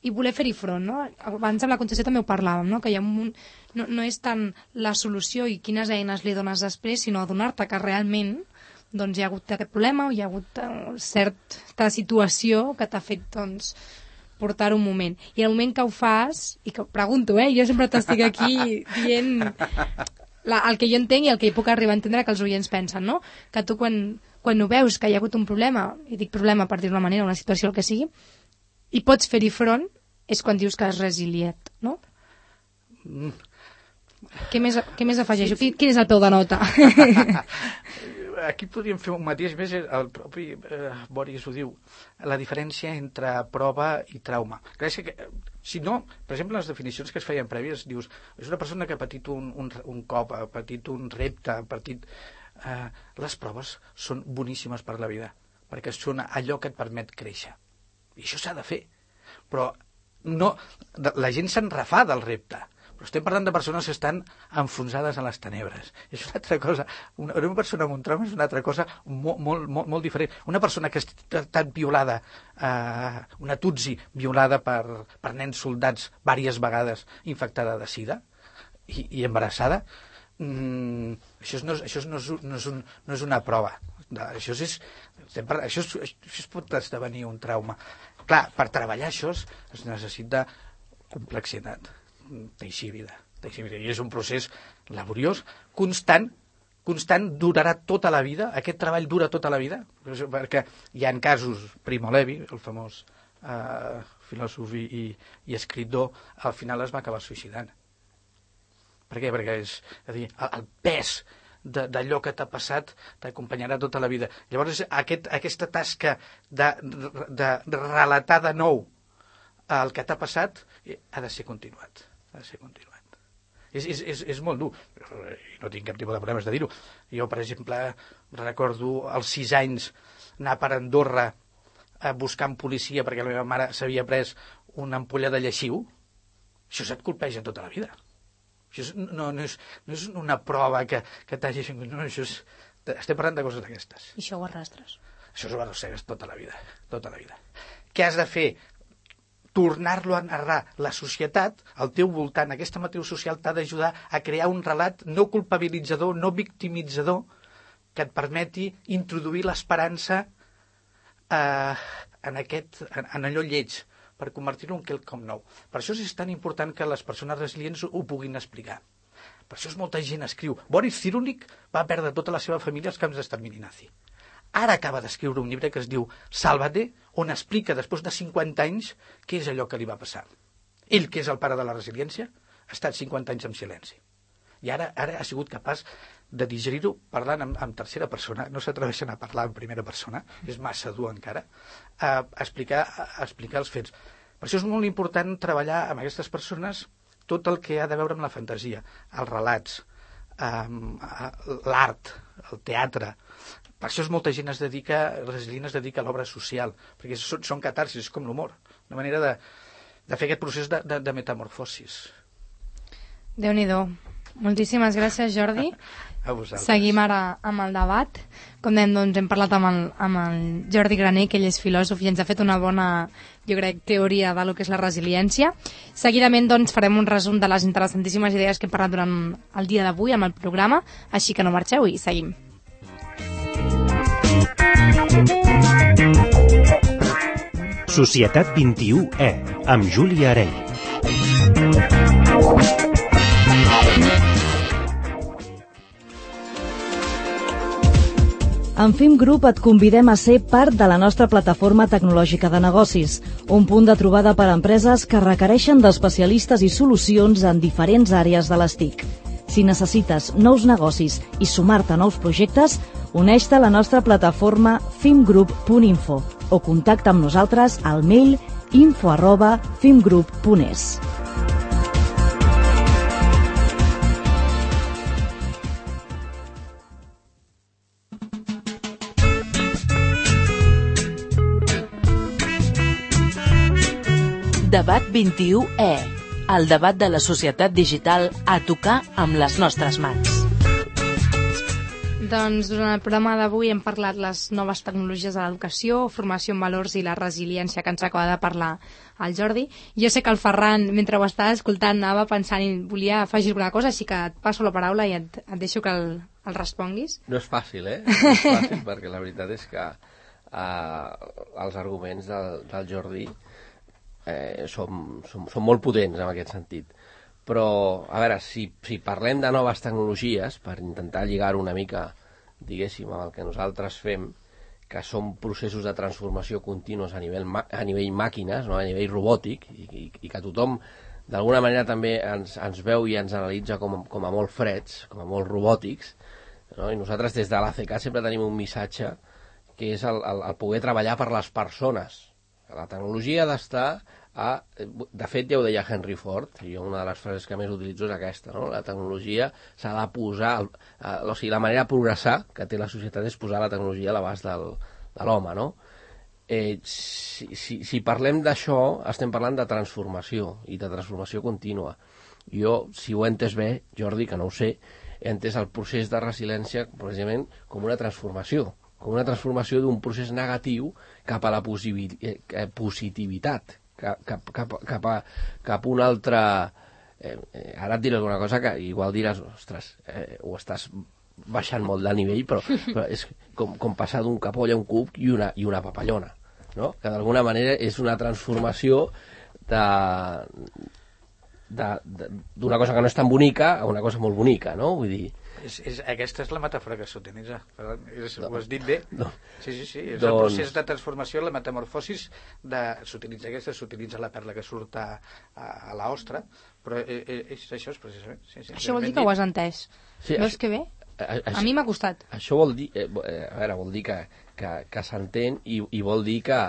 i voler fer-hi front, no? Abans amb la Concepció també ho parlàvem, no? Que hi ha un, no, no és tant la solució i quines eines li dones després, sinó adonar-te que realment doncs, hi ha hagut aquest problema o hi ha hagut uh, certa situació que t'ha fet, doncs, portar un moment. I el moment que ho fas, i que pregunto, eh? Jo sempre t'estic aquí dient la, el que jo entenc i el que hi puc arribar a entendre que els oients pensen, no? Que tu quan, quan ho veus que hi ha hagut un problema, i dic problema per dir-ho d'una manera, una situació, el que sigui, i pots fer-hi front, és quan dius que has resiliat, no? Mm. Què més, què més afegeixo? Sí, sí. Quin és el peu de nota? Aquí podríem fer un mateix més, el propi eh, Boris ho diu, la diferència entre prova i trauma. Gràcies que, si no, per exemple, les definicions que es feien prèvies, dius, és una persona que ha patit un, un, un cop, ha patit un repte, ha patit... Eh, les proves són boníssimes per la vida, perquè són allò que et permet créixer. I això s'ha de fer. Però no, la gent se'n refà del repte. Però estem parlant de persones que estan enfonsades a les tenebres. És una altra cosa. Una, una persona amb un trauma és una altra cosa molt, molt, molt, molt diferent. Una persona que ha estat violada, eh, una Tutsi violada per, per nens soldats diverses vegades, infectada de sida i, i embarassada, mm, això, no, això, no, és, no, és un, no és una prova. Això, és, parlant, això, és, això pot esdevenir un trauma. Clar, per treballar això es necessita complexitat. Teixir vida, teixir vida. I és un procés laboriós, constant, constant, durarà tota la vida, aquest treball dura tota la vida, perquè hi ha casos, Primo Levi, el famós eh, filòsof i, i escriptor, al final es va acabar suïcidant. Per què? Perquè és, és a dir, el, el pes d'allò que t'ha passat t'acompanyarà tota la vida. Llavors, aquest, aquesta tasca de, de, de relatar de nou el que t'ha passat ha de ser continuat. Ha de ser continuat. És, és, és, és molt dur. No tinc cap tipus de problemes de dir-ho. Jo, per exemple, recordo als sis anys anar per Andorra a buscar policia perquè la meva mare s'havia pres una ampolla de lleixiu. Això se't colpeja tota la vida. Això és, no, no, és, no és una prova que, que t'hagi... No, això és, estem parlant de coses d'aquestes. I això ho arrastres. Això ho arrossegues tota la vida. Tota la vida. Què has de fer? Tornar-lo a narrar. La societat, al teu voltant, aquesta matriu social t'ha d'ajudar a crear un relat no culpabilitzador, no victimitzador, que et permeti introduir l'esperança eh, en, aquest, en, en allò lleig, per convertir-ho en quelcom nou. Per això és tan important que les persones resilients ho puguin explicar. Per això és molta gent escriu. Boris Cyrulnik va perdre tota la seva família als camps d'extermini nazi. Ara acaba d'escriure un llibre que es diu Sálvate, on explica, després de cinquanta anys, què és allò que li va passar. Ell, que és el pare de la resiliència, ha estat cinquanta anys en silenci. I ara, ara ha sigut capaç de digerir-ho parlant en, en tercera persona. No s'atreveixen a parlar en primera persona, és massa dur encara, a explicar, a explicar els fets. Per això és molt important treballar amb aquestes persones tot el que ha de veure amb la fantasia, els relats, um, l'art, el teatre. Per això és molta gent es dedica, resilient es dedica a l'obra social, perquè són, són catarsis, és com l'humor, una manera de, de fer aquest procés de, de, de metamorfosis. Déu-n'hi-do. Moltíssimes gràcies, Jordi. A vosaltres. Seguim ara amb el debat. Com dèiem, doncs, hem parlat amb el, amb el Jordi Graner, que ell és filòsof i ens ha fet una bona, jo crec, teoria de lo que és la resiliència. Seguidament, doncs, farem un resum de les interessantíssimes idees que hem parlat durant el dia d'avui amb el programa, així que no marxeu i seguim. Societat vint-i-u E, amb Júlia Areny. En Fim Group et convidem a ser part de la nostra plataforma tecnològica de negocis, un punt de trobada per a empreses que requereixen d'especialistes i solucions en diferents àrees de les T I C. Si necessites nous negocis i sumar-te a nous projectes, uneix-te a la nostra plataforma fimgroup punt info o contacta amb nosaltres al mail info arroba fimgroup punt es. Debat vint-i-u E, el debat de la societat digital a tocar amb les nostres mans. Doncs durant el programa d'avui hem parlat les noves tecnologies de l'educació, formació en valors i la resiliència, que ens acaba de parlar el Jordi. Jo sé que el Ferran, mentre ho estava escoltant, anava pensant i volia afegir alguna cosa, així que et passo la paraula i et, et deixo que el, el responguis. No és fàcil, eh? No és fàcil, perquè la veritat és que eh, els arguments del, del Jordi eh, són, són, són molt potents en aquest sentit. Però, a veure, si, si parlem de noves tecnologies, per intentar lligar-ho una mica, diguéssim, amb el que nosaltres fem, que són processos de transformació continus a nivell, a nivell màquines, no? A nivell robòtic, i, i, i que tothom, d'alguna manera, també ens, ens veu i ens analitza com, com a molt freds, com a molt robòtics, no? I nosaltres des de l'A C C sempre tenim un missatge que és el, el, el poder treballar per les persones. La tecnologia ha d'estar a... De fet, ja ho deia Henry Ford, i una de les frases que més utilitzo és aquesta, no? La tecnologia s'ha de posar... A, o sigui, la manera de progressar que té la societat és posar la tecnologia a l'abast del, de l'home, no? Eh, si, si, si parlem d'això, estem parlant de transformació, i de transformació contínua. Jo, si ho he entès bé, Jordi, que no ho sé, he entès el procés de resiliència, precisament, com una transformació, com una transformació d'un procés negatiu cap a la positivitat, cap, cap, cap, cap, a, cap a un altre... Eh, eh, ara et diré alguna cosa que igual diràs, ostres, eh, ho estàs baixant molt de nivell, però, però és com, com passar d'un capoll a un cuc i una, i una papallona, no? Que d'alguna manera és una transformació de... d'una cosa que no és tan bonica a una cosa molt bonica, no? Vull dir... És, és, aquesta és la metàfora que s'utilitza. Ho has dit bé. No. Sí, sí, sí. És doncs... el procés de transformació, la metamorfosis, de... s'utilitza aquesta, s'utilitza la perla que surt a, a, a l'ostra, però és, és, això és precisament... Sí, sí, això vol dir que ho has entès. Sí, Veus que bé? a, a mi m'ha costat. Això vol dir, eh, a veure, vol dir que, que, que s'entén i, i vol dir que,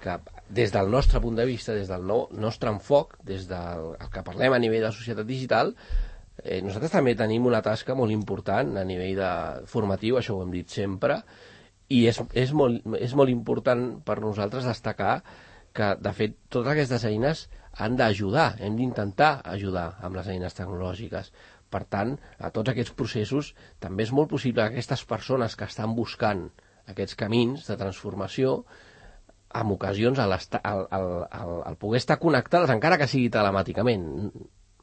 que des del nostre punt de vista, des del no, nostre enfoc, des del que parlem a nivell de societat digital, eh, nosaltres també tenim una tasca molt important a nivell de formatiu, això ho hem dit sempre, i és, és, molt, és molt important per nosaltres destacar que, de fet, totes aquestes eines han d'ajudar, hem d'intentar ajudar amb les eines tecnològiques. Per tant, a tots aquests processos també és molt possible que aquestes persones que estan buscant aquests camins de transformació, en ocasions, al, al, al, al, al poder estar connectades, encara que sigui telemàticament,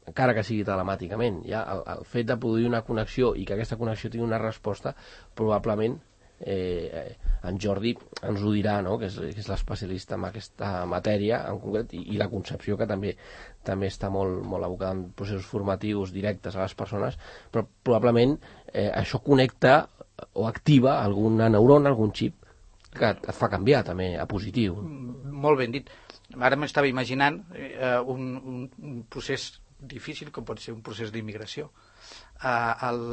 encara que sigui telemàticament, ja el, el fet de produir una connexió i que aquesta connexió tingui una resposta, probablement eh, en Jordi ens ho dirà, no? que és, que és l'especialista en aquesta matèria en concret, i, i la concepció que també també està molt, molt abocada en processos formatius directes a les persones, però probablement eh, això connecta o activa alguna neurona, algun xip que et fa canviar també a positiu. Molt ben dit. Ara m'estava imaginant eh, un, un, un procés difícil com pot ser un procés d'immigració. Eh, el,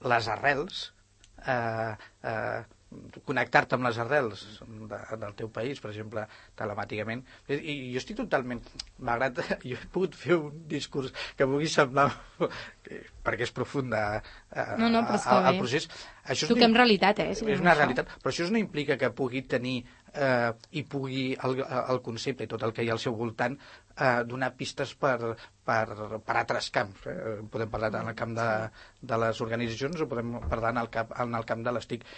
les arrels, eh, eh, connectar-te amb les arrels de, del teu país, per exemple, telemàticament. I, i jo estic totalment... Malgrat jo he pogut fer un discurs que pugui semblar... perquè és profund eh, no, no, però està el procés. Això Toquem no, realitat, eh? Si és una això. realitat, però això no implica que pugui tenir eh, i pugui el, el concepte i tot el que hi ha al seu voltant eh, donar pistes per, per, per altres camps. Eh? Podem parlar en el camp de, de les organitzacions o podem parlar en el, cap, en el camp de les T I C.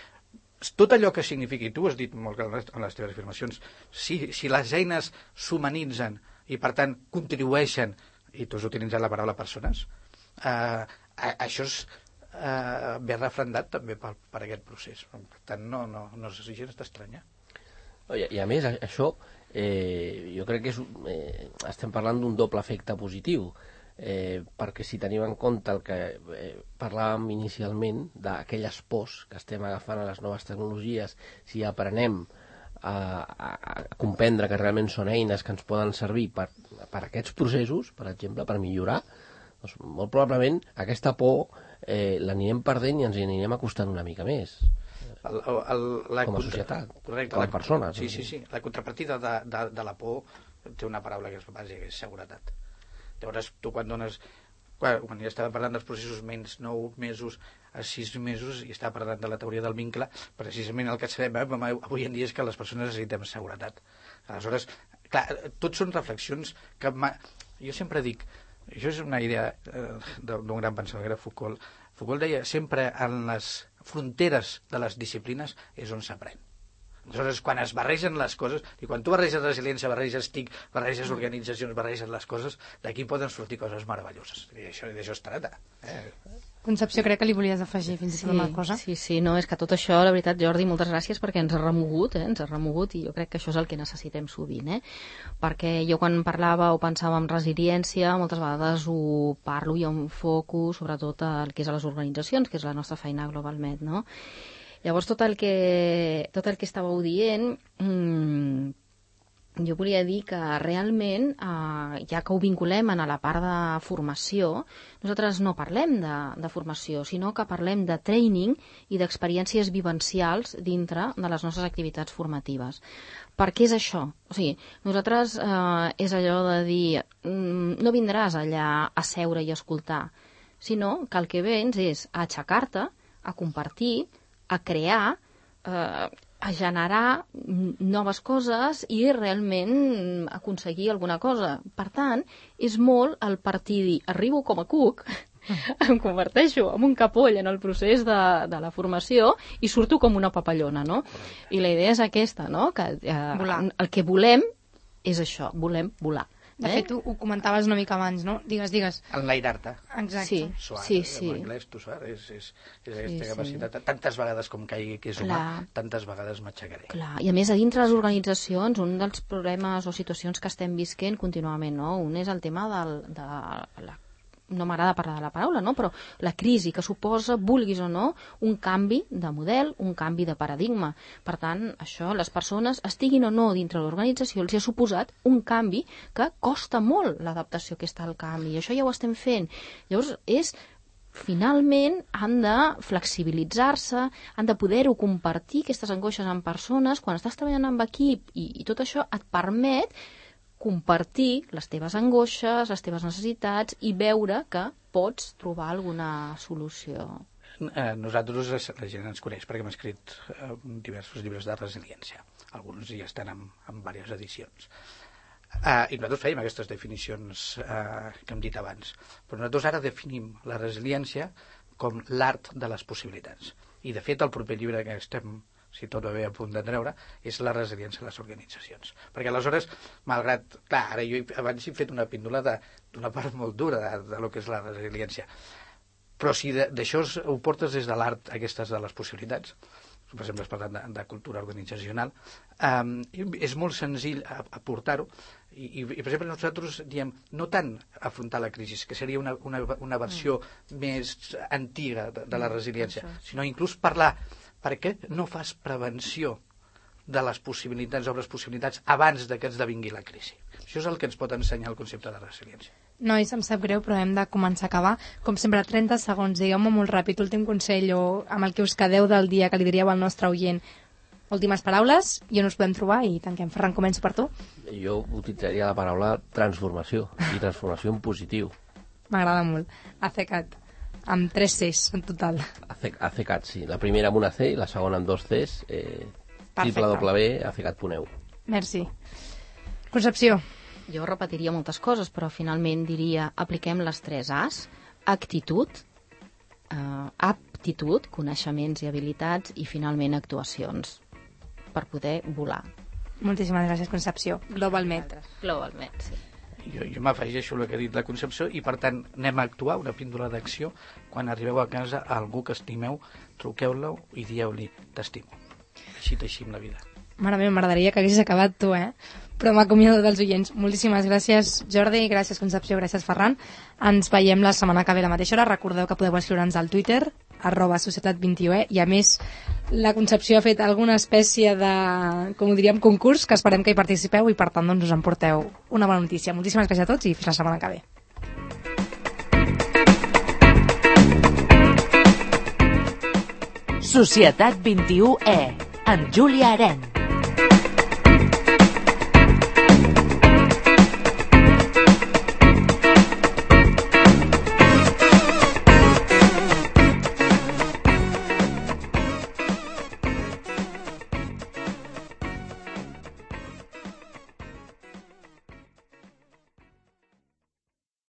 Tot allò que signifiqui, tu has dit molt clar en les teves afirmacions, si, si les eines s'humanitzen i per tant contribueixen, i tu has utilitzat la paraula persones, eh, això és eh, ben refrendat també per, per aquest procés. Per tant, no, no, no és gens d'estranyar. I, I a més, això eh, jo crec que és, eh, estem parlant d'un doble efecte positiu. Eh, perquè si tenim en compte el que eh, parlàvem inicialment d'aquelles pors que estem agafant a les noves tecnologies, si aprenem a, a, a comprendre que realment són eines que ens poden servir per, per aquests processos, per exemple, per millorar, doncs molt probablement aquesta por eh, l'anirem perdent i ens hi anirem acostant una mica més. El, el, la com a contra... societat, correcte, com a persones. Sí, sí, sí. La contrapartida de, de, de la por té una paraula que és bàsica, que és seguretat. Llavors, tu quan dones... Quan, quan ja estava parlant dels processos menys nou mesos a sis mesos i estava parlant de la teoria del vincle, precisament el que sabem eh, avui en dia és que les persones necessitem seguretat. Aleshores, clar, tots són reflexions que... Ma... Jo sempre dic, això és una idea eh, d'un gran pensador, que era Foucault. Foucault deia, sempre en les fronteres de les disciplines és on s'aprèn. Aleshores, quan es barregen les coses, i quan tu barreges resiliència, barreges T I C, barreges organitzacions, barreges les coses, d'aquí poden sortir coses meravelloses. I això, d'això es tracta. Eh? Concepció, crec que li volies afegir fins i tot una cosa. Sí, sí, no, és que tot això, la veritat, Jordi, moltes gràcies perquè ens ha remogut, eh? ens ha remogut i jo crec que això és el que necessitem sovint, eh? Perquè jo quan parlava o pensava en resiliència, moltes vegades ho parlo i em foco sobretot al que és a les organitzacions, que és la nostra feina globalment, no? Llavors, tot el que, tot el que estàveu dient, mmm, jo volia dir que realment, eh, ja que ho vinculem a la part de formació, nosaltres no parlem de, de formació, sinó que parlem de training i d'experiències vivencials dintre de les nostres activitats formatives. Per què és això? O sigui, nosaltres eh, és allò de dir, mm, no vindràs allà a seure i escoltar, sinó que el que vens és a aixecar-te, a compartir, a crear, eh, a generar noves coses i realment aconseguir alguna cosa. Per tant, és molt el partir dir, arribo com a cuc, em converteixo en un capoll en el procés de, de la formació i surto com una papallona, no? I la idea és aquesta, no? Que eh, el que volem és això, volem volar. De eh? fet, ho, ho comentaves una mica abans, no? Digues, digues. Enlairar-te. Exacte. Sí, suar, sí, sí. En anglès, tu suar, és, és, és aquesta sí, capacitat. Sí. Tantes vegades com caigui que és humà, Clar. tantes vegades m'aixecaré. Clar, i a més, a dintre les organitzacions, un dels problemes o situacions que estem visquent contínuament, no? Un és el tema del, de la no m'agrada parlar de la paraula, no? Però la crisi que suposa, vulguis o no, un canvi de model, un canvi de paradigma. Per tant, això, les persones, estiguin o no dintre l'organització, els ha suposat un canvi que costa molt l'adaptació que està al canvi, i això ja ho estem fent. Llavors, és finalment han de flexibilitzar-se, han de poder-ho compartir, aquestes angoixes amb persones. Quan estàs treballant amb equip i, i tot això et permet compartir les teves angoixes, les teves necessitats i veure que pots trobar alguna solució. Eh, nosaltres, la gent ens coneix perquè hem escrit eh, diversos llibres de resiliència. Alguns ja estan en, en diverses edicions. Eh, I nosaltres fèiem aquestes definicions eh, que hem dit abans. Però nosaltres ara definim la resiliència com l'art de les possibilitats. I, de fet, el proper llibre que estem, si tot va bé, a punt de treure, és la resiliència de les organitzacions. Perquè aleshores, malgrat... Clar, ara jo abans he fet una píndola d'una part molt dura de, de lo que és la resiliència. Però si d'això ho portes des de l'art aquestes de les possibilitats, per exemple, has parlat de, de cultura organitzacional, um, és molt senzill aportar-ho i, i, i, per exemple, nosaltres diem no tant afrontar la crisi, que seria una, una, una versió mm. més antiga de, de la resiliència, mm, sinó inclús parlar per què no fas prevenció de les possibilitats o les possibilitats abans de que esdevingui la crisi. Això és el que ens pot ensenyar el concepte de resiliència. Nois, em sap greu, però hem de començar a acabar. Com sempre, trenta segons, digueu-me molt ràpid, últim consell o amb el que us quedeu del dia que li diríeu al nostre oient. Últimes paraules, i on us podem trobar i tanquem. Ferran, començo per tu. Jo utilitzaria la paraula transformació, i transformació en positiu. M'agrada molt. ACECAT, amb tres Cs en total. ACECAT, sí. La primera amb una C i la segona amb dos Cs. Eh, w w w punt acecat punt e u. Merci. Concepció. Jo repetiria moltes coses, però finalment diria apliquem les tres As, actitud, eh, aptitud, coneixements i habilitats i finalment actuacions per poder volar. Moltíssimes gràcies, Concepció. GlobalMed. GlobalMed, sí. Jo, jo m'afegeixo el que ha dit la Concepció i, per tant, anem a actuar, una píndola d'acció. Quan arribeu a casa a algú que estimeu, truqueu-lo i dieu-li t'estimo. Així teixim la vida. Mare meva, m'agradaria que haguessis acabat tu, eh? Però m'acomiado dels oients. Moltíssimes gràcies, Jordi, gràcies, Concepció, gràcies, Ferran. Ens veiem la setmana que ve a la mateixa hora. Recordeu que podeu escriure'ns al Twitter, arroba societat vint i u e, i a més la Concepció ha fet alguna espècie de, com ho diríem, concurs, que esperem que hi participeu i per tant doncs us emporteu una bona notícia. Moltíssimes gràcies a tots i fins la setmana que ve. Societat vint i u e, amb Júlia Aren.